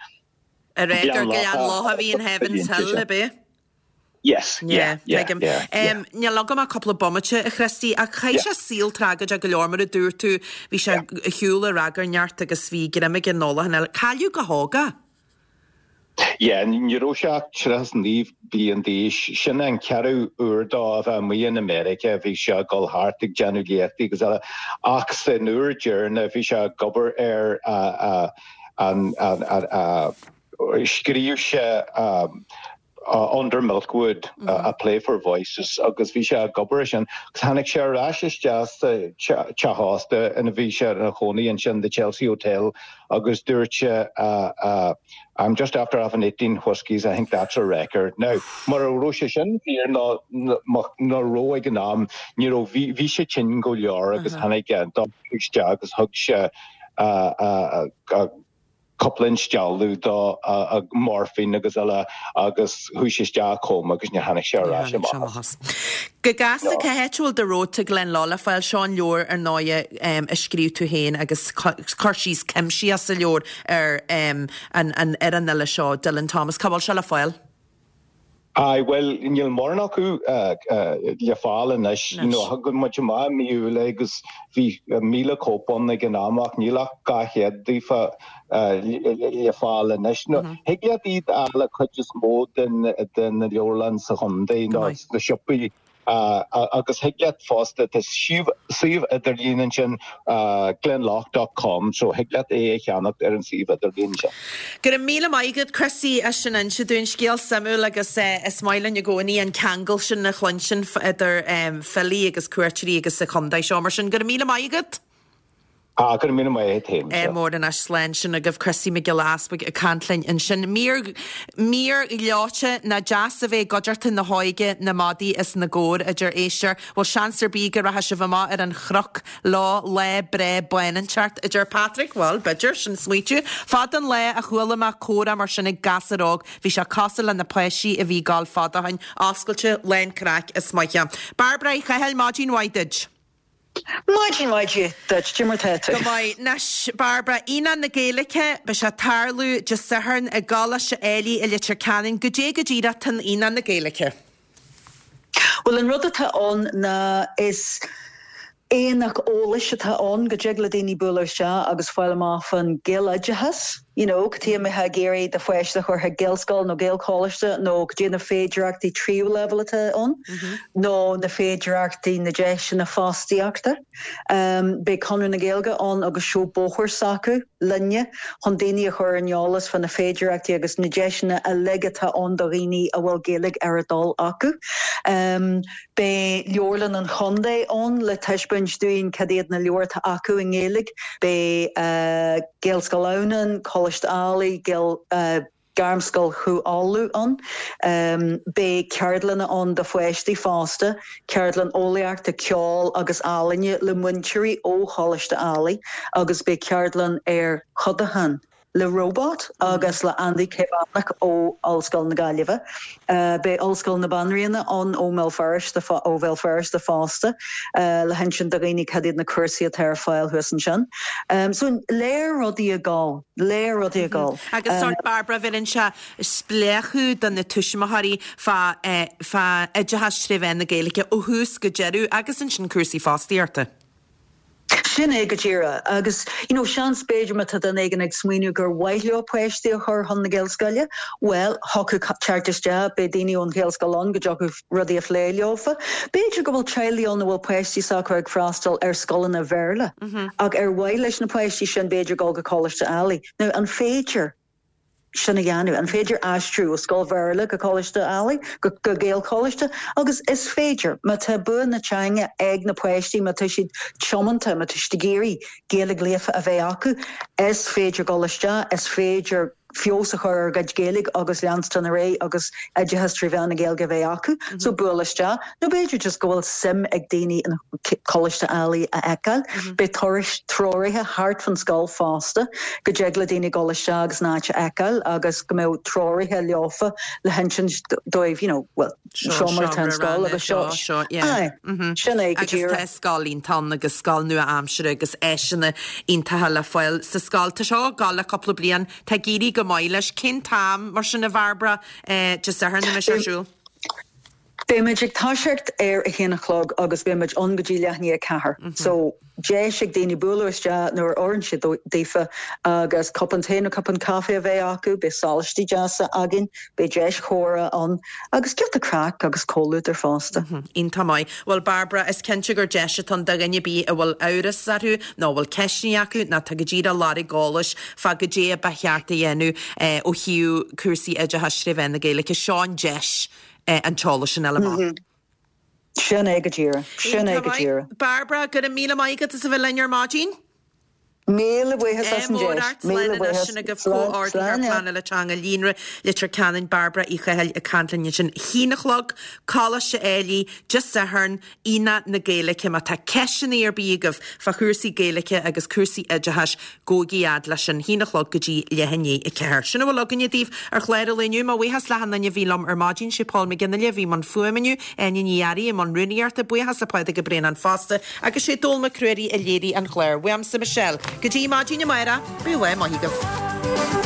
A rá gur Gleann Locha a bhí in Heaven's Hill, ab ea?
Yes, yeah, yeah,
tuigim.
yeah, yeah.
Níl agam ach cúpla bomaite, a Christy, ach chaith sé saol tragóideach go leor, mar a dúirt tú, bhí sé ar shiúl ó ragairneacht agus bhí greim aige ar an ólachán eile. Cailleadh go hóg é.
Yeah, ní raibh sé ach 39 bliain d'aois. Sin an ceathrú uair dó a bheith amuigh in America, bhí sé ag dul thart ag déanamh léachtaí agus eile, ach san uair deireanach bhí sé ag obair ar an, scríobh sé Under Milk Wood, A Play for Voices agus bhí sé ag obair ar sin agus tháinig sé ar ais isteach sa teach ósta ina bhí sé ina chónaí ansin, The Chelsea Hotel, agus dúirt sé I'm just after having 18 whiskeys, I think that's a record. Now, mura raibh sé sin fíor nó ná raibh ag an am, ní raibh, bhí sé tinn go leor agus tháinig an dochtúir isteach agus thug sé cúpla instealladh dó, morphine agus eile agus chuaigh sé isteach i coma agus níor tháinig sé ar ais amach
as. Go gasta, cá háit a bhfuil The Road to Glenlough le fáil? Seo an leabhar ar ndóighe a scríobh tú féin agus cur síos cuimsitheach sa leabhar ar an ar an fhile seo, Dylan Thomas. Cá bhfuil sé le fáil?
Aye, bhuel, níl mórán acu le fáil anois. You know, thug muid amach i mí Iúil é agus bhí 1,000 cóip ann ag an am ach níl ach 200 daofa le fáil anois. Nó thig leat iad a fháil i cuid is mó de na leabharlanna sa chontae nó sna siopaí. Agus thig leat fosta, tá suíomh idirlín ansin, glenlough dot com, so thig leat é a cheannacht ar an suíomh idirlín sin.
Go raibh míle maith agat Chrissy as sin a inse dúinn. Scéal suimiúil agus is maith linn i gcónaí an ceangal sin a chluinstin idir filí agus cuairteoirí agus an chontae seo. Mar sin, go raibh míle maith agat.
Ah, go raibh míle maith agat féin.
Ádh mór anois, slán sin agaibh Chrissy Mac Giolla Easbuig ag caint linn ansin. Mír, mír ghleoite ná deas a bheith i gcuideachta na hóige, na madaí is na gcór, a deir éisteoir. Bhfuil seans ar bith go rachaidh sibh amach ar an chnoc leo lá breá bán inteacht, a deir Patrick. Bhuel, b'fhéidir, sin smaoitiú. Fada an lá a chuala mé comhrá mar sin ag gasúr óg, bhí sé cosúil le na páistí a bhí ag gabháil fada ó shin, oscailte, lán craic is maith. Bairbre Uí Chathail, maidin mhaith duit.
Maidin mhaith duit, cad é mar tá tú?
Go maith. Anois, Bairbre, Aonach na Gaeilge, beidh sé ag tarlú Dé Sathairn i gColáiste Ailigh i Leitir Ceanainn. Goidé go díreach tá in Aonach na Gaeilge?
Bhuel, an rud atá ann ná is aonach eolais atá ann go dtig le daoine bualadh isteach agus fáil amach fán Ghaeloideachas, you know, cad chuige a mbeifeá ag iarraidh do pháiste a chur chuig Gaelscoil nó Gaelcholáiste nó cad é na féidearthachtaí tríú leibhéal atá ann nó na féidearthachtaí, na deiseanna fostaíochta. Beidh Conradh na Gaeilge ann agus seó bóthair s'acu linne chun daoine a chur ar an eolas fá na féidearthachtaí agus na deiseanna uilig atá ann do dhaoine a bhfuil Gaeilge ar a dtoil acu. Beidh Leabharlann an Chontae ann le taispeáint dúinn cad iad na leabhair atá acu i nGaeilge. Beidh Gaelscoil Adhamhnáin, Coláiste Ailigh, Gairmscoil Chú Uladh ann. Beidh ceardlanna ann do pháistí fosta, ceardlann eolaíochta, ceoil agus ealaíne le múinteoirí ó Choláiste Ailigh agus beidh ceardlann ar chodachán le Robot agus le Andy Caomhánach ó Ollscoil na Gaillimhe. Beidh Ollscoil na Banríona ann ó mBéal Feirste ó Bhéal Feirste fosta le hinsint do dhaoine cad iad na cúrsaí atá ar fáil thuas ansin. So lear rudaí ag gabháil, lear rudaí ag gabháil.
Agus sórt Bairbre, bheireann sé spléachadh do na tuismitheoirí fá fá oideachas tré mheán na Gaeilge ó thús go deireadh agus ansin cúrsaí fostaíochta.
Sin é go díreach. Agus, you know, seans b'fhéidir má tá duine éigin ag smaoineamh gur mhaith leo páistí a chur chun na Gaelscoile, bhuel, thiocfadh teacht isteach, beidh daoine ón Ghaelscoil ann go dtiocfadh rudaí a phlé leofa. B'fhéidir go bhfuil teaghlaigh ann a bhfuil páistí s'acu ag freastal ar scoileanna Bhéarla ach ar mhaith leis na páistí sin b'fhéidir dul go Coláiste Ailigh. Now, an féidir? sin a dhéanamh? An féidir aistriú ó scoil Bhéarla go Coláiste Ailigh, go Gaelcholáiste? Agus is féidir. Má tá bua na teanga ag na páistí, má tá siad tiomanta, má tá siad ag iarraidh Gaeilge líofa a bheith acu, is féidir dul isteach, is féidir feabhas a chur ar a gcuid Gaeilge agus leanstan ar aghaidh agus oideachas trí mheán na Gaeilge a bheith acu. So buail isteach. Nó b'fhéidir just go bhfuil suim ag daoine in Coláiste Ailigh a fheiceáil. Beidh turais treoraithe thart fan scoil fosta go dtig le daoine dul isteach agus an áit a fheiceáil agus go mbeadh treoraithe leofa le hinsint dóibh you know well seo mar atá an scoil agus seo
seo yeah.
Aye, sin é go
Agus tá
díreach.
scoil iontach ann agus scoil nua-aimseartha agus áiseanna iontacha le fáil sa scoil. Tá seo ag gabháil le cúpla bliain, tá ag éirí go maith leis. Cén t-am mar sin a Bhairbre, Dé Sathairn a mbeidh sé ar siúl?
Beidh muid ag toiseacht ar a haon a chlog agus beidh muid ann go dtí leath i ndiaidh a ceathair. So, deis ag daoine bualadh isteach nuair a oireann sé daofa agus cupán tae nó cupán caife a bheith acu, beidh sólaistí deasa againn, beidh deis chomhrá ann agus giota craic agus comhluadar fosta.
Iontach maith. Bhuel Bairbre, is cinnte gur deis atá ann do dhuine ar bith a bhfuil amhras orthu nó a bhfuil ceisteanna acu nó atá go díreach ag lorg eolais fá goidé a ba cheart a dhéanamh ó thaobh cúrsaí oideachais tré mheán na Gaeilge. Seo an deis. an t-eolas sin a fháil amach.
Sin é go díreach. Sin é go díreach.
Bairbre, go raibh míle maith agat as a bheith linn ar maidin.
Míle buíochas as an deis.
Míle buíochas. Sin agaibh Comhordaitheoir Pleanála Teanga Líonra Leitir Ceanainn, Bairbre Uí Chathail ag caint linn ansin. Haon a chlog, Coláiste Ailigh, Dé Sathairn, Aonach na Gaeilge. Má tá ceisteanna ar bith agaibh fá chúrsaí Gaeilge agus cúrsaí oideachais, Gabhaigí fhad leis sin, haon a chlog go dtí leath i ndiaidh a ceathair. Sin a bhfuil againne daoibh ar chlár an lae inniu. Mo bhuíochas le achan duine a bhí liom ar maidin. Sé Paul McGinley a bhí i mbun fuaime inniu, Áine Ní Fhearraigh i mbun rúnaíochta, buíochas le Pádraig Ó Braonáin fosta, agus sé Dónall Mac Ruairí a léirigh an clár. Uaimse Michelle. Go dtí maidin amárach, bíodh lá maith agaibh.